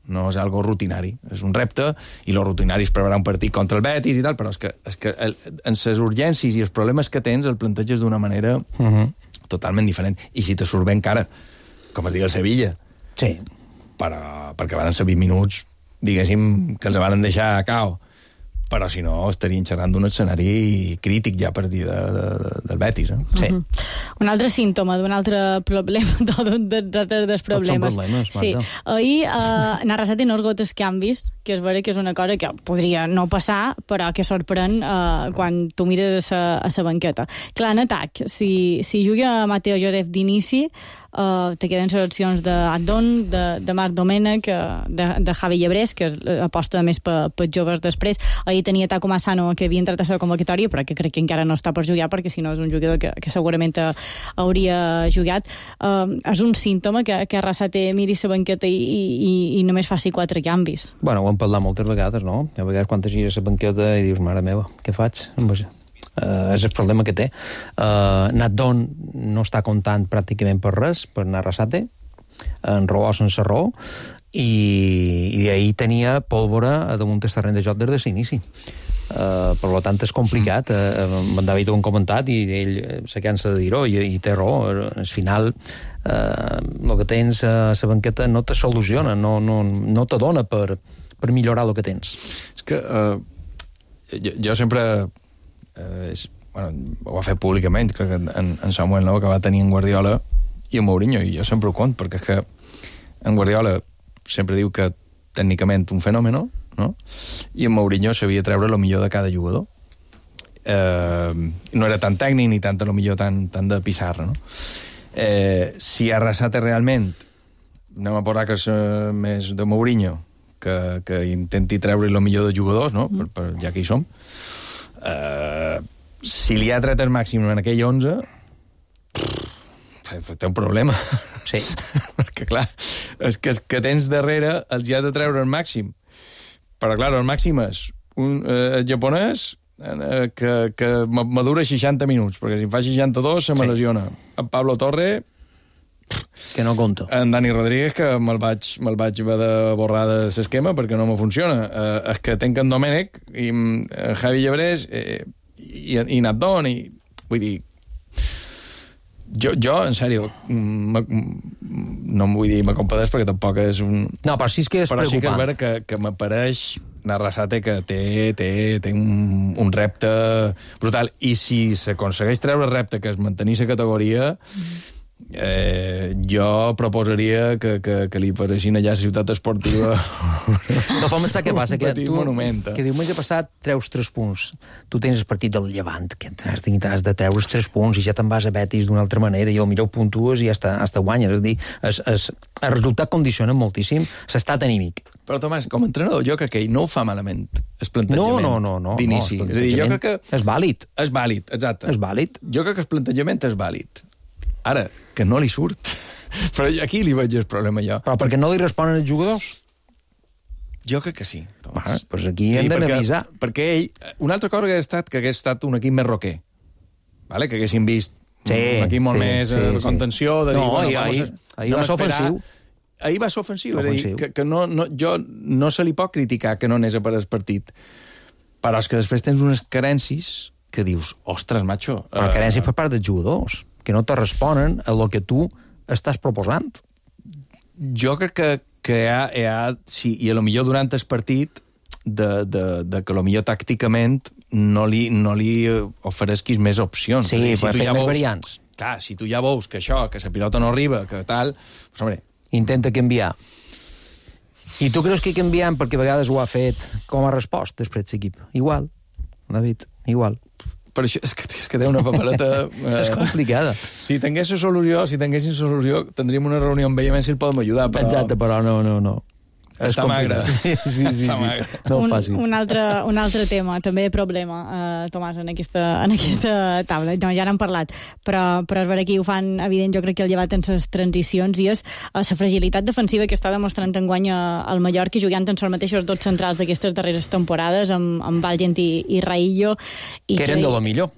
S9: No és algo rutinari, és un repte, i lo rutinari és preparar un partit contra el Betis i tal, però és que en les urgències i els problemes que tens el planteges d'una manera totalment diferent. I si te surt bé encara, com es diu el Sevilla,
S10: sí.
S9: perquè van ser 20 minuts, diguéssim, que els van deixar a cau, però si no estarien xerrant d'un escenari crític ja per dir del Betis.
S10: Sí.
S4: Un altre símptoma d'un altre problema, dels problemes.
S10: Tots són problemes,
S4: sí. Ahir Arrasate no esgota els canvis, que és vera que és una cosa que podria no passar, però que sorprèn quan tu mires a la banqueta. Clar, en atac, si juga Mateo Josep d'inici, te queden seleccions d'Addon, de Marc Domènech, de Javi Llebrés, que aposta més per joves després. Ahir tenia Taco Massano, que havia entrat a la convocatòria, però que crec que encara no està per jugar, perquè si no és un jugador que segurament hauria jugat. És un símptoma que Arrasate miri la banqueta i només faci 4 canvis.
S10: Bueno, ho hem parlat moltes vegades, no? A vegades quan gires la banqueta i dius, mare meva, què faig? És el problema que té. Naddon no està comptant pràcticament per res, per Arrasate, en raó o sense raó, i ahir tenia pólvora damunt el terreny de joc des de l'inici. Per tant, és complicat. En David ho han comentat i ell se cansa de dir-ho i té raó. Al final, el que tens a la banqueta no te soluciona, no te dona per millorar el que tens.
S9: És que jo sempre... ho va fer públicament, crec que en Samuel, no?, que va tenir en Guardiola i en Mourinho, i jo sempre ho cont, perquè és que en Guardiola sempre diu que tècnicament un fenòmeno, no?, i en Mourinho sabia treure el millor de cada jugador. No era tan tècnic ni tant el millor tant de pissarra, no? Si Arrasate realment, anem a posar que és més de Mourinho, que intenti treure el millor de jugadors, no?, ja que hi som, si li ha tret el màxim en aquell 11, té un problema.
S10: Sí.
S9: Perquè, clar, és que tens darrere els ja de treure el màxim. Però, clar, el màxim és un japonès que madura 60 minuts, perquè si en fa 62 se me lesiona. En Pablo Torre...
S10: Que no compta.
S9: En Dani Rodríguez, que me'l vaig haver de borrar de l'esquema perquè no me funciona. És que tenc en Domènech i Javi Llebrés i Naddon, i vull dir, jo en sèrio, no em vull dir me compadeix perquè tampoc és un...
S10: No, però sí que és preocupant.
S9: Però sí que és vera que m'apareix Arrasate que té un repte brutal, i si s'aconsegueix treure el repte que és mantenir la categoria, Jo proposaria que li paressin allà a Ciutat Esportiva
S10: no fa pensar què passa, que tu
S9: monument.
S10: Que diumenge passat treus 3 punts, tu tens el partit del Llevant, que has de treure 3 punts i ja te'n vas a Betis d'una altra manera i potser puntues i hasta guanyes, és a dir, el resultat condiciona moltíssim l'estat anímic.
S9: Però Tomàs, com a entrenador, jo crec que ell no ho fa malament, el plantejament d'inici.
S10: No,
S9: és a dir, jo crec que...
S10: És vàlid.
S9: És vàlid, exacte.
S10: És vàlid.
S9: Jo crec que el plantejament és vàlid. Ara, que no li surt. Però aquí li veig el problema jo.
S10: Però perquè no li responen els jugadors?
S9: Jo crec que sí, Tomàs.
S10: Doncs aquí hem d'analitzar.
S9: Perquè ell... Una altra cosa que hagués estat un equip més roquer. Vale? Que haguéssim vist un equip molt més de contenció, de dir...
S10: No, ahir va ser ofensiu.
S9: Ahir va ser ofensiu. És a dir, que no se li pot criticar que no anés a per el partit. Però és que després tens unes carències que dius, ostres, macho...
S10: Però carències per part dels jugadors, que no te responen a lo que tu estàs proposant.
S9: Jo crec que hi ha sí, i a lo millor durant el partit de que a lo millor tàcticament no li oferesquis més opcions.
S10: Sí, per fer més variants.
S9: Clar, si tu ja veus que això, que la pilota no arriba, que tal... Pues, hombre,
S10: intenta canviar. I tu creus que canviant perquè a vegades ho ha fet com a resposta després l'equip? Igual, David, igual.
S9: Per això és que té una papeleta...
S10: és complicada.
S9: Si tinguéssim solució, tindríem una reunió amb ell a veure si el podem ajudar, però...
S10: Exacte, però no.
S9: Està magre.
S10: Sí.
S9: Magre.
S10: No fàcil.
S4: Un altre tema, també problema, Tomàs, en aquesta taula. No, ja n'hem parlat, però és vera que ho fan evident, jo crec que el llevat en les transicions i és la fragilitat defensiva que està demostrant enguany al Mallorca, jugant en els mateixos dos centrals d'aquestes darreres temporades, amb Valgent i Raillo.
S10: Que eren de lo millor.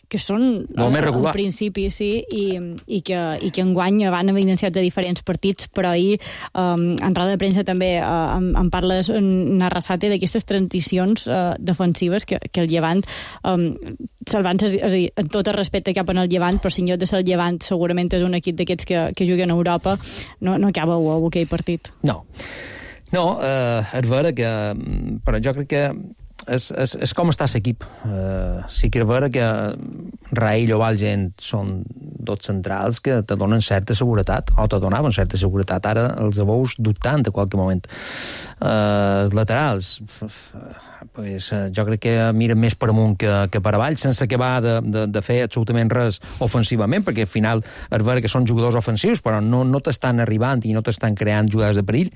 S4: Que són en principi, sí, i que enguany van evidenciat de diferents partits, però ahir en roda de premsa també en parles en Arrasate d'aquestes transicions defensives que el Llevant se'l van, és a dir, en tot el respecte cap en el Llevant, però si en lloc de ser el Llevant segurament és un equip d'aquests que juguen a Europa, no acaba aquell partit.
S10: No, és vera que... Però jo crec que és com està l'equip. Sí que és vera que Raïl o Valgent són dos centrals que te donen certa seguretat, o te donaven certa seguretat. Ara els veus dubtant a qualque moment. Els laterals, jo crec que miren més per amunt que per avall, sense acabar de fer absolutament res ofensivament, perquè al final és vera que són jugadors ofensius, però no t'estan arribant i no t'estan creant jugades de perill.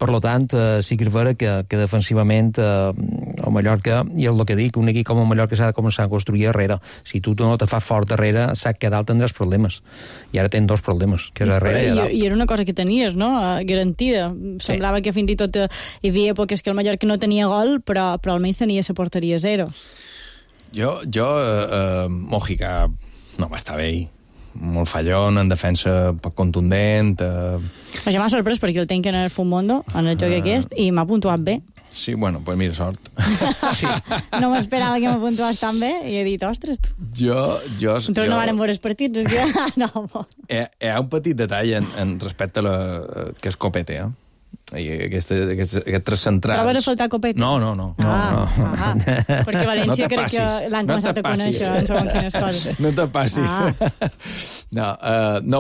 S10: Per tant, sí que és vera que defensivament el Mallorca, i el que dic, un equip com el Mallorca s'ha de començar a construir darrere. Si tu no te fas fort darrere, saps que a dalt tindràs problemes. I ara tens dos problemes, que és darrere i a dalt.
S4: I era una cosa que tenies, no?, garantida. Semblava que fins i tot hi havia èpoques que el Mallorca no tenia gol, però almenys tenia la porteria zero.
S9: Jo Mojica no va estar bé ahir. Molt fallón, en defensa poc contundent.
S4: Ja m'ha sorprès perquè el tenc en el Futmundo, en el joc aquest, i m'ha puntuat bé.
S9: Sí, bueno, pues mira, sort.
S4: Sí. No m'esperava que m'ha puntuat tan bé i he dit, ostres, tu.
S9: Nosaltres
S4: no vàrem veure els partits, és que... No.
S9: Hi ha un petit detall en respecte a que és Copete, i aquests tres centrals...
S4: Trobes a faltar Copete?
S9: No.
S4: Perquè València crec que l'han començat a conèixer en segons quines coses.
S9: No te passis. No,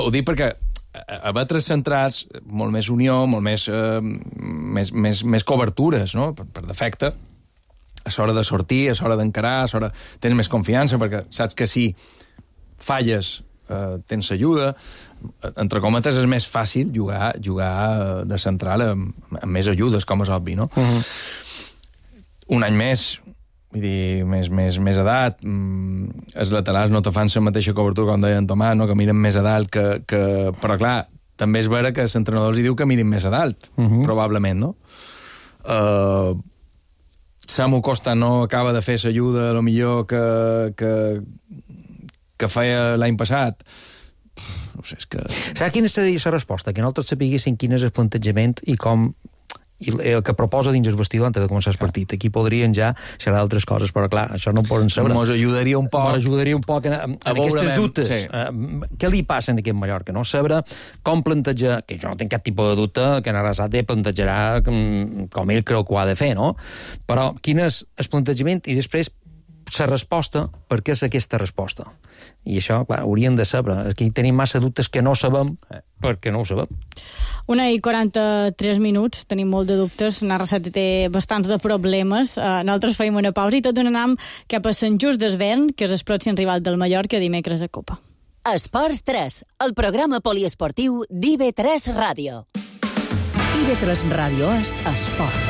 S9: ho dic perquè haver tres centrals, molt més unió, molt més cobertures, no?, per defecte, a l'hora de sortir, a l'hora d'encarar, a l'hora... Tens més confiança, perquè saps que si falles tens ajuda. Entre cometes és més fàcil jugar de central amb més ajudes, com és obvi, no? Un any més, vull dir, més edat, els laterals no te fan la mateixa cobertura, com deia en Tomàs, no?, que miren més a dalt, però clar, també és vera que l'entrenador els diu que mirin més a dalt, probablement, no? Samu Costa no acaba de fer l'ajuda, a lo millor que feia l'any passat. No sé, és que...
S10: Saps quina seria la resposta? Que nosaltres sapiguéssim quin és el plantejament i com... i el que proposa dins el vestidor antes de començar el partit. Aquí podrien ja xerrar d'altres coses, però clar, això no ho poden saber.
S9: Mos ajudaria un poc
S10: en aquestes dubtes. Sí. Què li passa en aquest Mallorca, no? Saber com plantejar, que jo no tinc cap tipus de dubte que en Arrasate plantejarà com ell creu que ho ha de fer, no? Però quin és el plantejament i després la resposta, per què és aquesta resposta? I això, clar, hauríem de saber. Aquí tenim massa dubtes que no sabem perquè no ho sabem.
S4: 1:43, tenim molt de dubtes. Narra7 té bastants de problemes. Nosaltres feim una pausa i tot anam cap a Sant Just Desvern, que és el pròxim rival del Mallorca dimecres a Copa.
S5: Esports 3, el programa poliesportiu d'IV3 Ràdio. IV3 Ràdio és esport.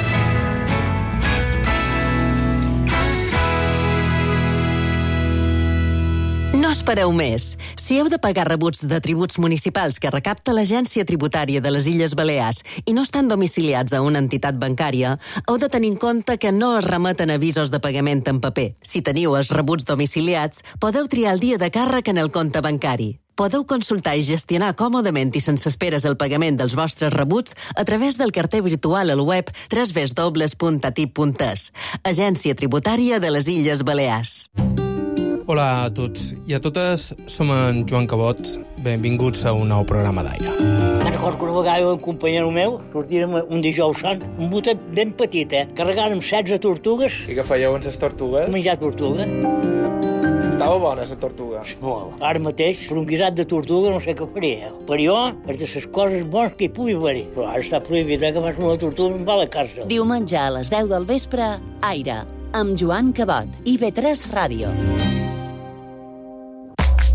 S5: No espereu més. Si heu de pagar rebuts de tributs municipals que recapta l'Agència Tributària de les Illes Balears i no estan domiciliats a una entitat bancària, heu de tenir en compte que no es remeten avisos de pagament en paper. Si teniu els rebuts domiciliats, podeu triar el dia de càrrec en el compte bancari. Podeu consultar i gestionar còmodament i sense esperes el pagament dels vostres rebuts a través del carter virtual al web www.atip.es. Agència Tributària de les Illes Balears.
S12: Hola a tots i a totes, som en Joan Cabot. Benvinguts a un nou programa d'Aire.
S13: Me'n recordo que una vegada un companyero meu sortirem un dijous sant, un botet ben petit, carregàrem 16 tortugues.
S12: I què fèieu amb les tortugues?
S13: Menjar tortuga.
S12: Estava bona, la tortuga.
S13: Molt. Ara mateix, per un guisat de tortuga no sé què faria. Per jo, és de les coses bones que hi pugui haver-hi. Però ara està prohibit que fas una tortuga i em va a la càrcel.
S5: Diumenge a les 10 del vespre, Aire, amb Joan Cabot, IV3 Ràdio.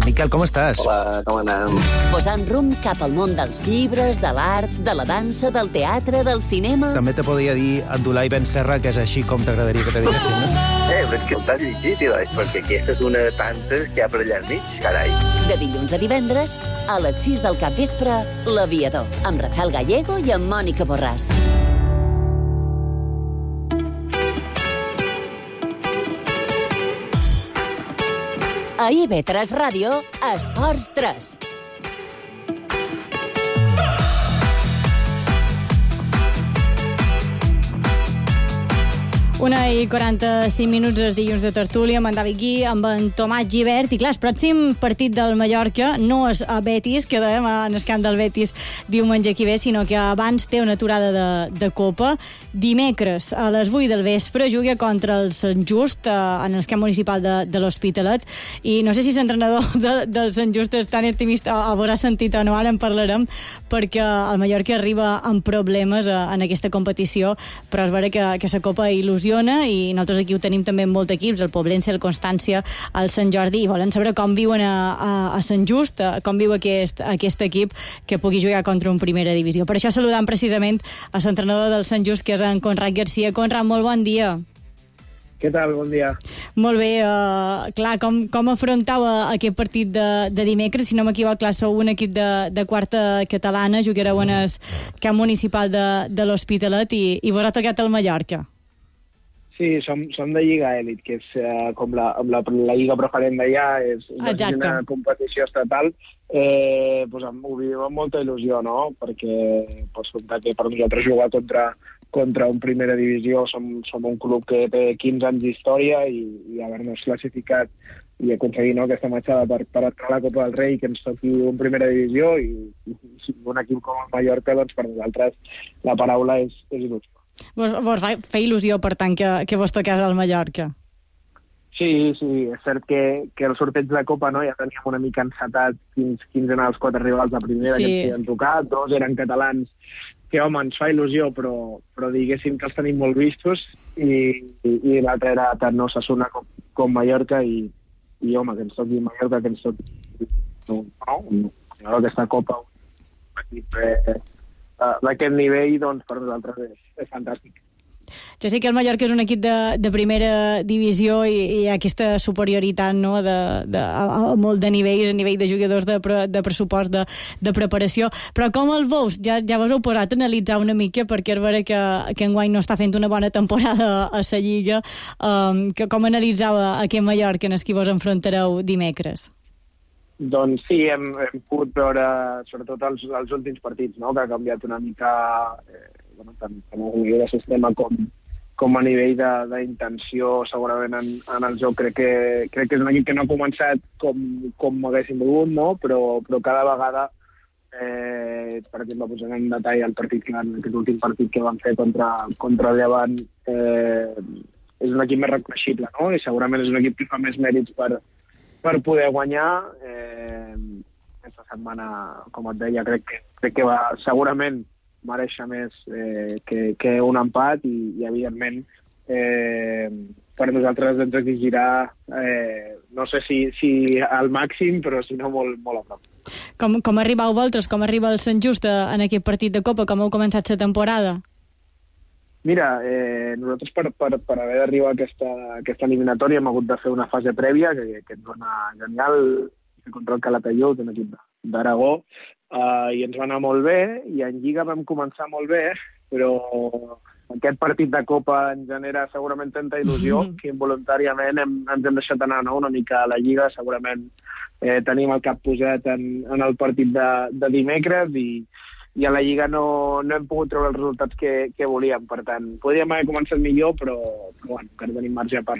S14: Miquel, com estàs?
S15: Hola, com anem?
S5: Posant rumb cap al món dels llibres, de l'art, de la dansa, del teatre, del cinema...
S14: També te podria dir Abdulai Ben Serra, que és així com t'agradaria que te diguessin, no?
S15: Però és que el t'has llegit, perquè aquesta és una de tantes que hi ha per allà al mig, carai.
S5: De dilluns a divendres, a les 6 del capvespre, L'Aviador, amb Rafael Gallego i amb Mònica Borràs. A IV3 Ràdio, Esports 3.
S4: Una i 45 minuts els dilluns de tertúlia amb en David Gui, amb en Tomàs Gibert. I clar, el pròxim partit del Mallorca no és a Betis, que dèiem en el camp del Betis diumenge que ve, sinó que abans té una aturada de Copa. Dimecres, a les 8 del vespre, juga contra el Sant Just en el camp municipal de l'Hospitalet. I no sé si l'entrenador del Sant Just és tan optimista o haurà sentit o no, ara en parlarem, perquè el Mallorca arriba amb problemes en aquesta competició, però és vera que la Copa il·lusiona i nosaltres aquí ho tenim també en molts equips, el Poblense, el Constància, el Sant Jordi, i volen saber com viuen a Sant Just, com viu aquest equip que pugui jugar contra un primera divisió. Per això saludam precisament a l'entrenador del Sant Just, que és en Conrad Garcia. Conrad, molt bon dia.
S16: Què tal? Bon dia.
S4: Molt bé. Clar, com afrontau aquest partit de dimecres? Si no m'equivoc, clar, sou un equip de quarta catalana, jugareu en el camp municipal de l'Hospitalet i vos ha tocat el Mallorca.
S16: Sí, som de Lliga Elit, que és com la lliga preferent d'allà, és una competició estatal. Pues, ho vivim amb molta il·lusió, no? Perquè pots comptar que per nosaltres jugar contra un primera divisió som un club que té 15 anys d'història i haver-nos classificat i aconseguir aquesta matxada per entrar a la Copa del Rei, que ens toqui un primera divisió i un equip com el Mallorca, doncs per nosaltres la paraula és il·lusió.
S4: Vos fa il·lusió, per tant, que vos toqués al Mallorca?
S16: Sí, és cert que el sorteig de Copa ja teníem una mica encetat quins eren els 4 rivals de primera que ens havien tocat, 2 eren catalans, que home, ens fa il·lusió, però diguéssim que els tenim molt vistos i l'altre era tant Osasuna com Mallorca i home, que ens toqui Mallorca, que ens toqui aquesta Copa, un equip d'aquest nivell, doncs per nosaltres és fantàstic.
S4: Ja sé que el Mallorca és un equip de primera divisió i hi ha aquesta superioritat, no, a molt de nivells, a nivell de jugadors, de pressupost, de preparació. Però com el veus? Ja vos heu posat a analitzar una mica, perquè és vera que enguany no està fent una bona temporada a la Lliga. Com analitzava aquest Mallorca en el que vos enfrontareu dimecres?
S16: Doncs sí, hem pogut veure sobretot els últims partits, no? Que ha canviat una mica tant a nivell de sistema com a nivell d'intenció segurament en el joc. Crec que és un equip que no ha començat com haguéssim volgut, no? Però cada vegada, per exemple, posant en detall aquest últim partit que van fer contra el Llevant, és un equip més reconeixible, no? I segurament és un equip que fa més mèrits per poder guanyar. Aquesta setmana, com et deia, crec que va segurament mereixer més que un empat i evidentment, per nosaltres ens exigirà, no sé si al màxim, però si no molt, molt a prop.
S4: Com arribau vosaltres? Com arriba el Sant Just en aquest partit de Copa? Com heu començat la temporada?
S16: Mira, nosaltres per haver d'arribar a aquesta eliminatòria hem hagut de fer una fase prèvia que ens va anar genial contra el Calatayud, un equip d'Aragó, i ens va anar molt bé, i en Lliga vam començar molt bé, però aquest partit de Copa ens genera segurament tanta il·lusió que involuntàriament ens hem deixat anar, no? Una mica a la Lliga. Segurament tenim el cap posat en el partit de dimecres i a la Lliga no hem pogut treure els resultats que volíem. Per tant, podríem haver començat millor, però bueno, encara tenim marge per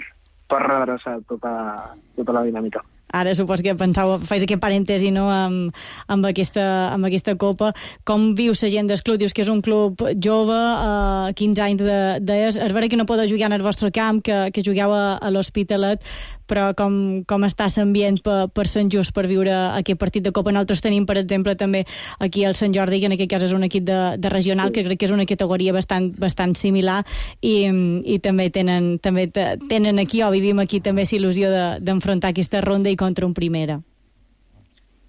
S16: redreçar tota la dinàmica.
S4: Ara supos que fais aquest parèntesi, no?, amb aquesta Copa. Com vius la gent del club? Dius que és un club jove, 15 anys d'és. És vera que no podeu jugar en el vostre camp, que jugueu a l'Hospitalet, però com està l'ambient per Sant Just per viure aquest partit de Copa? Nosaltres tenim, per exemple, també aquí el Sant Jordi, que en aquest cas és un equip de regional, que crec que és una categoria bastant similar, i també tenen aquí, o vivim aquí també l'il·lusió d'enfrontar aquesta ronda i contra un primera.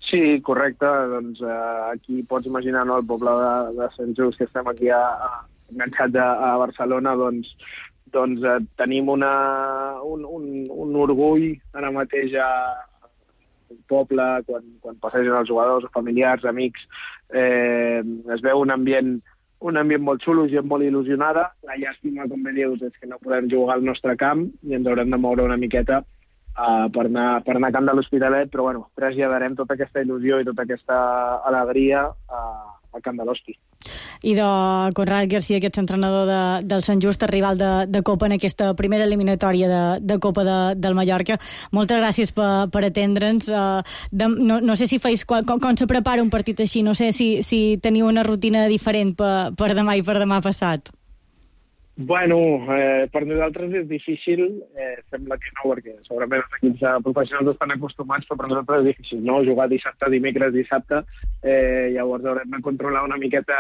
S16: Sí, correcte. Doncs aquí pots imaginar, no, el poble de Sant Just, que estem aquí enganxats a Barcelona, doncs tenim un orgull ara mateix al poble, quan passegen els jugadors, familiars, amics. Es veu un ambient molt xulo, gent molt il·lusionada. La llàstima, com bé dius, és que no podem jugar al nostre camp i ens haurem de moure una miqueta per anar a camp de l'Hospitalet, però bueno, traslladarem tota aquesta il·lusió i tota aquesta alegria al camp de l'Hospi.
S4: I de Conrad Garcia, aquest entrenador del Sant Just, rival de Copa en aquesta primera eliminatòria de Copa del Mallorca. Moltes gràcies per atendre'ns. No sé si com se prepara un partit així, no sé si teniu una rutina diferent per demà i per demà passat.
S16: Bueno, per nosaltres és difícil, sembla que no, perquè segurament els equips professionals estan acostumats, però per nosaltres és difícil, no? Jugar dissabte, dimecres, dissabte, llavors haurem de controlar una miqueta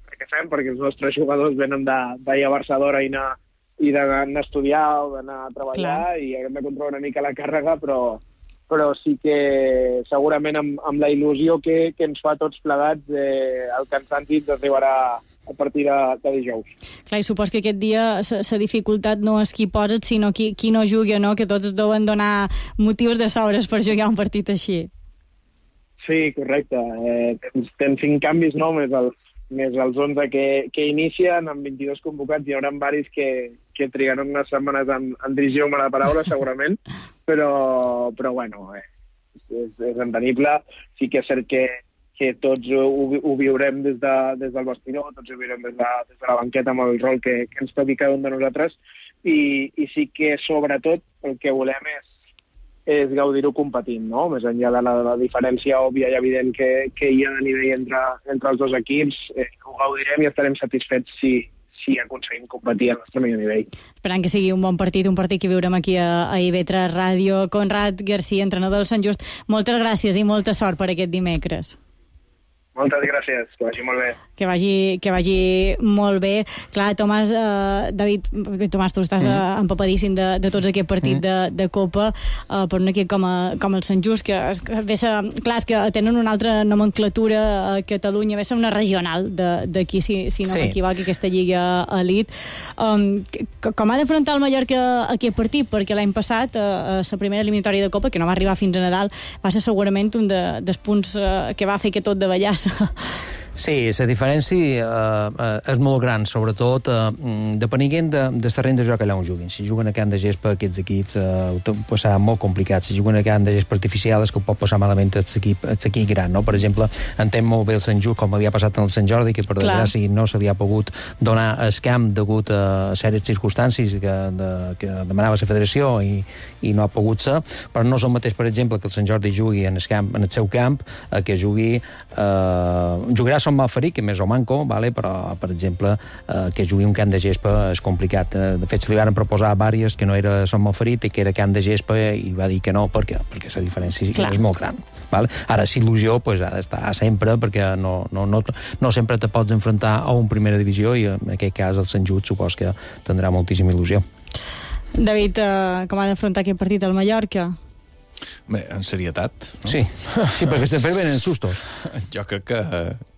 S16: què fem, perquè els nostres jugadors venen d'ahir a Barça d'hora i d'anar a estudiar o d'anar a treballar. Clar. I hem de controlar una mica la càrrega, però sí que segurament amb la il·lusió que ens fa tots plegats, el cansanci arribarà a partir de dijous.
S4: Clar, i supos que aquest dia la dificultat no és qui posa't, sinó qui no juga, no? Que tots deuen donar motius de sobres per jugar un partit així.
S16: Sí, correcte. Tens 5 canvis, no? Més els 11 que inicien, amb 22 convocats. Hi haurà varis que trigaran unes setmanes en dirigir-me la paraula, segurament, però bueno, és entenible. Sí que és cert que tots ho viurem des del vestidor, tots ho viurem des de la banqueta amb el rol que ens toqui cada un de nosaltres, i sí que sobretot el que volem és gaudir-ho competint, no? Més enllà de la diferència òbvia i evident que hi ha a nivell entre els dos equips, ho gaudirem i estarem satisfets si aconseguim competir al nostre millor nivell.
S4: Esperant que sigui un bon partit, un partit que viurem aquí a IB3 Ràdio. Conrad Garcia, entrenador del Sant Just, moltes gràcies i molta sort per aquest dimecres.
S16: Moltes gràcies, que vagi molt bé.
S4: Que vagi molt bé. Clar, Tomàs, David, Tomàs, tu estàs empapadíssim de tots aquest partit de Copa per un equip com el Sant Just, que clar, és que tenen una altra nomenclatura a Catalunya, ve a ser una regional d'aquí, si no m'equivoc, aquesta Lliga Elite. Com ha d'afrontar el Mallorca aquest partit? Perquè l'any passat, a la primera eliminatòria de Copa, que no va arribar fins a Nadal, va ser segurament un dels punts que va fer que tot davallàs.
S10: Sí, la diferència és molt gran, sobretot depenent del terreny de joc allà on juguin. Si juguen a camp de gespa, aquests equips ho serà molt complicat. Si juguen a camp de gespa artificial, és que ho pot passar malament l'equip gran, no? Per exemple, entenc molt bé el Sant Just, com li ha passat al Sant Jordi, que per desgràcia no se li ha pogut donar el camp degut a sèries circumstàncies que demanava la federació i no ha pogut ser, però no és el mateix, per exemple, que el Sant Jordi jugui en el seu camp, que jugarà Son Malferit, que més o manco, vale? Però, per exemple, que jugui un camp de gespa és complicat. De fet, se li van proposar vàries que no era Son Malferit i que era camp de gespa i va dir que no, perquè la diferència és molt gran. Vale? Ara, si il·lusió ha d'estar sempre, perquè no sempre te pots enfrontar a un primera divisió i en aquest cas el Sant Just supos que tindrà moltíssima il·lusió.
S4: David, com ha d'afrontar aquest partit al Mallorca?
S9: Bé, en serietat, no?
S10: Sí, perquè sempre venen sustos.
S9: Jo crec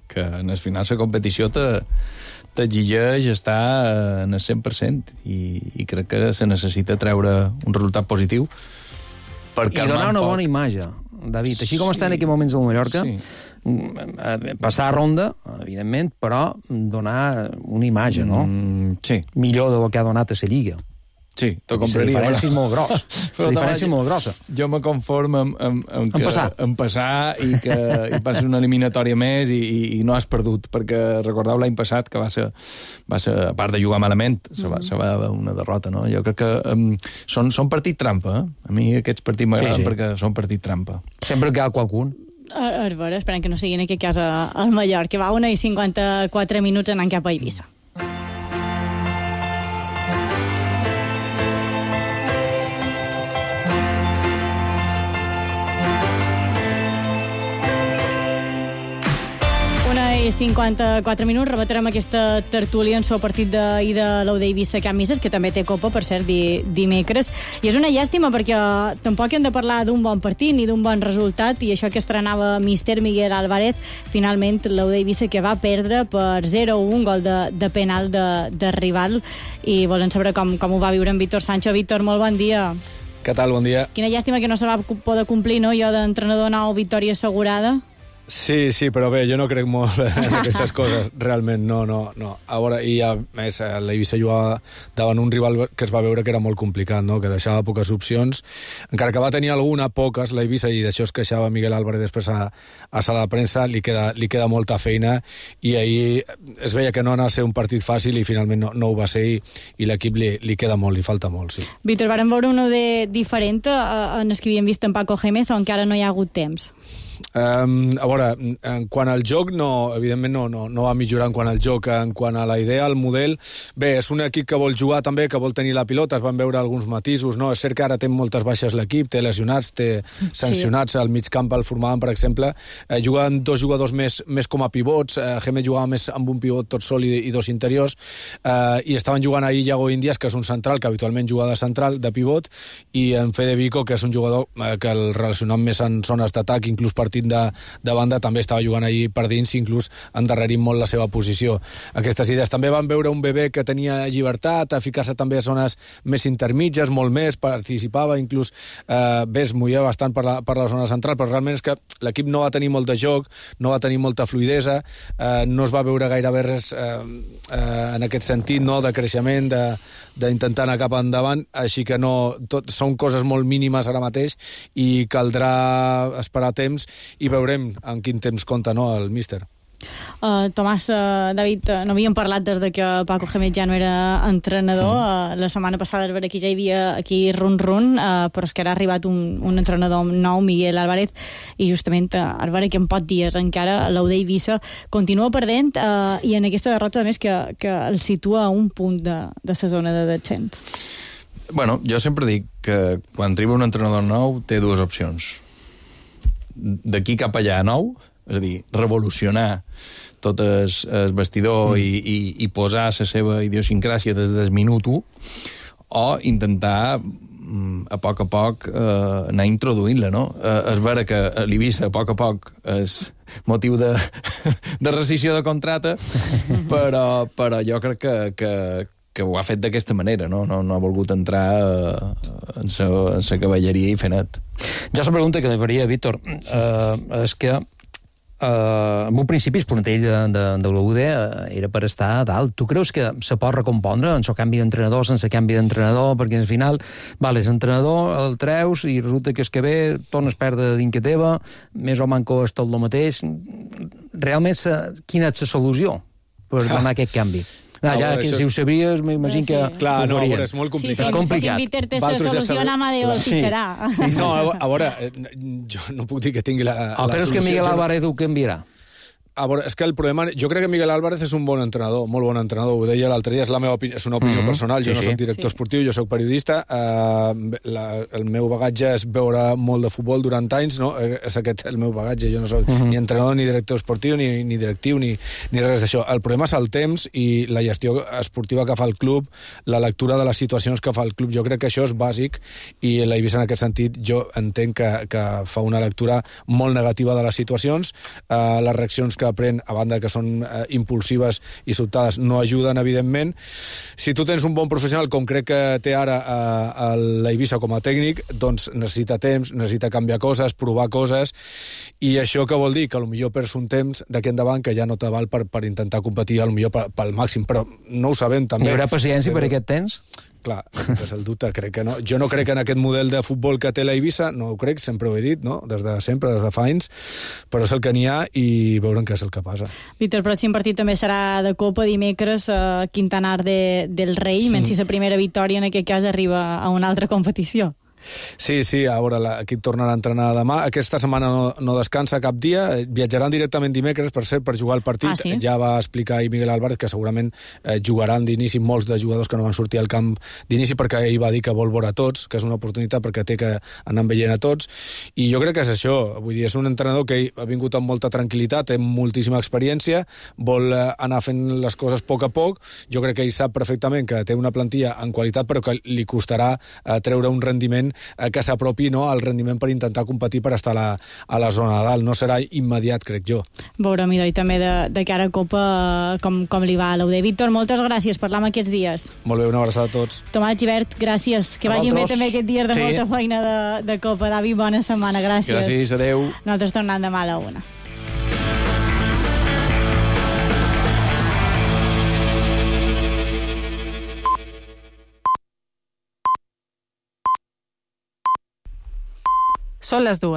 S9: que en el final la competició t'exigeix estar en el 100% i crec que se necessita treure un resultat positiu per
S10: i donar una bona imatge, David. Així com està en aquests moments al Mallorca, passar a ronda, evidentment, però donar una imatge, no?
S9: Sí.
S10: Millor del que ha donat a la Lliga.
S9: Sí, t'ho compraria.
S10: La diferència és molt grossa. La diferència és molt grossa.
S9: Jo me conformo en passar i que hi passi una eliminatòria més i no has perdut, perquè recordeu l'any passat que va ser a part de jugar malament, se va una derrota, no? Jo crec que són partit trampa, A mi aquests partits m'agraden perquè són partit trampa.
S10: Sempre que hi ha qualcun.
S4: A veure, esperem que no sigui en aquest cas al Mallorca. Va 1:54 anant cap a Eivissa. I 54 minuts, rebatrem aquesta tertúlia en el partit d'ahir de l'Aude Eivissa Camp Misses, que també té copa, per cert, dimecres. I és una llàstima perquè tampoc hem de parlar d'un bon partit ni d'un bon resultat, i això que estrenava míster Miguel Álvarez, finalment l'Aude Eivissa que va perdre per 0-1, gol de penal de rival, i volen saber com ho va viure en Víctor Sancho. Víctor, molt bon dia.
S17: Què tal, bon dia.
S4: Quina llàstima que no se va poder complir, no?, jo d'entrenador nou, victòria assegurada.
S17: Sí, però bé, jo no crec molt en aquestes coses, realment, no. A veure, i a més, l'Eivissa jugava davant un rival que es va veure que era molt complicat, no?, que deixava poques opcions, encara que va tenir poques, l'Eivissa, i d'això es queixava Miguel Álvarez després a sala de premsa, li queda molta feina, i ahir es veia que no anava a ser un partit fàcil i finalment no ho va ser, i l'equip li queda molt, li falta molt, sí.
S4: Víctor, vàrem veure un de diferent en el que havíem vist en Paco Gémez, on encara no hi ha hagut temps.
S17: A veure, en quant al joc, evidentment no va millorar en quant al joc, en quant a la idea, al model. Bé, és un equip que vol jugar també, que vol tenir la pilota, es van veure alguns matisos, no? És cert que ara té moltes baixes l'equip, té lesionats, té sancionats, al mig camp el formaven, per exemple, juguen dos jugadors més com a pivots, Gémez jugava més amb un pivot tot sol i dos interiors, i estaven jugant ahir Iago Indias, que és un central, que habitualment juga de central, de pivot, i en Fede Vico, que és un jugador que el relacionant més en zones d'atac, inclús partint de banda, també estava jugant allí per dins, inclús endarrerint molt la seva posició. Aquestes idees. També van veure un bebè que tenia llibertat, a ficar-se també a zones més intermitges, molt més, participava, inclús es movia bastant per la zona central, però realment és que l'equip no va tenir molt de joc, no va tenir molta fluidesa, no es va veure gairebé res en aquest sentit, no?, de creixement, d'intentar anar cap endavant, així que són coses molt mínimes ara mateix i caldrà esperar temps i veurem en quin temps compta, no?, el míster.
S4: Tomàs, David, no havíem parlat des de que Paco Gémez ja no era entrenador. La setmana passada aquí ja hi havia run-run, però és que ara ha arribat un entrenador nou, Miguel Álvarez, i justament a veure que en pocs dies encara l'Aude Eivissa continua perdent, i en aquesta derrota a més que el situa a un punt de la zona de descens.
S9: Bueno, jo sempre dic que quan arriba un entrenador nou té dues opcions. D'aquí cap allà nou, és a dir, revolucionar tot el vestidor i posar la seva idiosincràsia des del minut 1, o intentar a poc anar introduint-la, no? És vera que l'Eivissa a poc és motiu de rescissió de contracte, però jo crec que ho ha fet d'aquesta manera, no ha volgut entrar en la cavalleria i fer net.
S10: Ja la pregunta que li faria, Víctor, és que en un principi el plantell de l'UD era per estar a dalt. Tu creus que se pot recompondre en el canvi d'entrenador sense canvi d'entrenador? Perquè al final, és entrenador, el treus i resulta que és que ve, tornes a perdre dintre teva, més o manco és tot el mateix. Realment, quina és la solució per donar aquest canvi? Si ho sabries, m'imagino que...
S17: Clar, no, és molt complicat.
S4: Sí, si Víctor té la solució, Amadeu el fitxarà.
S17: No, a veure, jo no puc dir que tingui la solució.
S10: Creus que Miguel Álvarez ho canviarà?
S17: a veure, és que el problema... Jo crec que Miguel Álvarez és un bon entrenador, molt bon entrenador, ho deia l'altre dia, és la meva opinió, és una opinió personal, jo no soc director esportiu, jo soc periodista, el meu bagatge és veure molt de futbol durant anys, no? És aquest el meu bagatge, jo no soc ni entrenador, ni director esportiu, ni directiu, ni res d'això. El problema és el temps i la gestió esportiva que fa el club, la lectura de les situacions que fa el club, jo crec que això és bàsic i l'Eivissa en aquest sentit jo entenc que fa una lectura molt negativa de les situacions, les reaccions que pren, a banda que són impulsives i sobtades, no ajuden, evidentment. Si tu tens un bon professional, com crec que té ara l'Eivissa com a tècnic, doncs necessita temps, necessita canviar coses, provar coses, i això què vol dir? Que potser perds un temps d'aquí endavant que ja no te val per intentar competir potser pel màxim, però no ho sabem també.
S10: Hi haurà paciència per aquest temps?
S17: Clar, és el dubte, crec que no. Jo no crec en aquest model de futbol que té l'Eivissa, no ho crec, sempre ho he dit, no? Des de sempre, des de fa anys, però és el que n'hi ha i veurem què és el que passa.
S4: Víctor, el pròxim partit també serà de Copa dimecres a Quintanar del Rei, menys si la primera victòria en aquest cas arriba a una altra competició.
S17: Sí, a veure, l'equip tornarà a entrenar demà. Aquesta setmana no descansa cap dia. Viatjaran directament dimecres, per cert, per jugar el partit.
S4: Sí?
S17: Ja va explicar ahir Miguel Álvarez que segurament jugaran d'inici molts de jugadors que no van sortir al camp d'inici, perquè ell va dir que vol veure a tots, que és una oportunitat perquè té que anar veient a tots. I jo crec que és això. Vull dir, és un entrenador que ha vingut amb molta tranquil·litat, té moltíssima experiència, vol anar fent les coses a poc. Jo crec que ell sap perfectament que té una plantilla en qualitat, però que li costarà treure un rendiment que s'apropi al rendiment per intentar competir per estar a la zona de dalt. No serà immediat, crec jo.
S4: Veurem, i també de cara a Copa com li va a l'UD. Víctor, moltes gràcies, parlam aquests dies.
S17: Molt bé, una abraçada a tots.
S4: Tomàs Gibert, gràcies. Que vagin bé també aquests dies de molta feina de Copa. David, bona setmana, gràcies.
S9: Gràcies, adeu.
S4: Nosaltres tornem demà a la 1.
S18: Són les 2.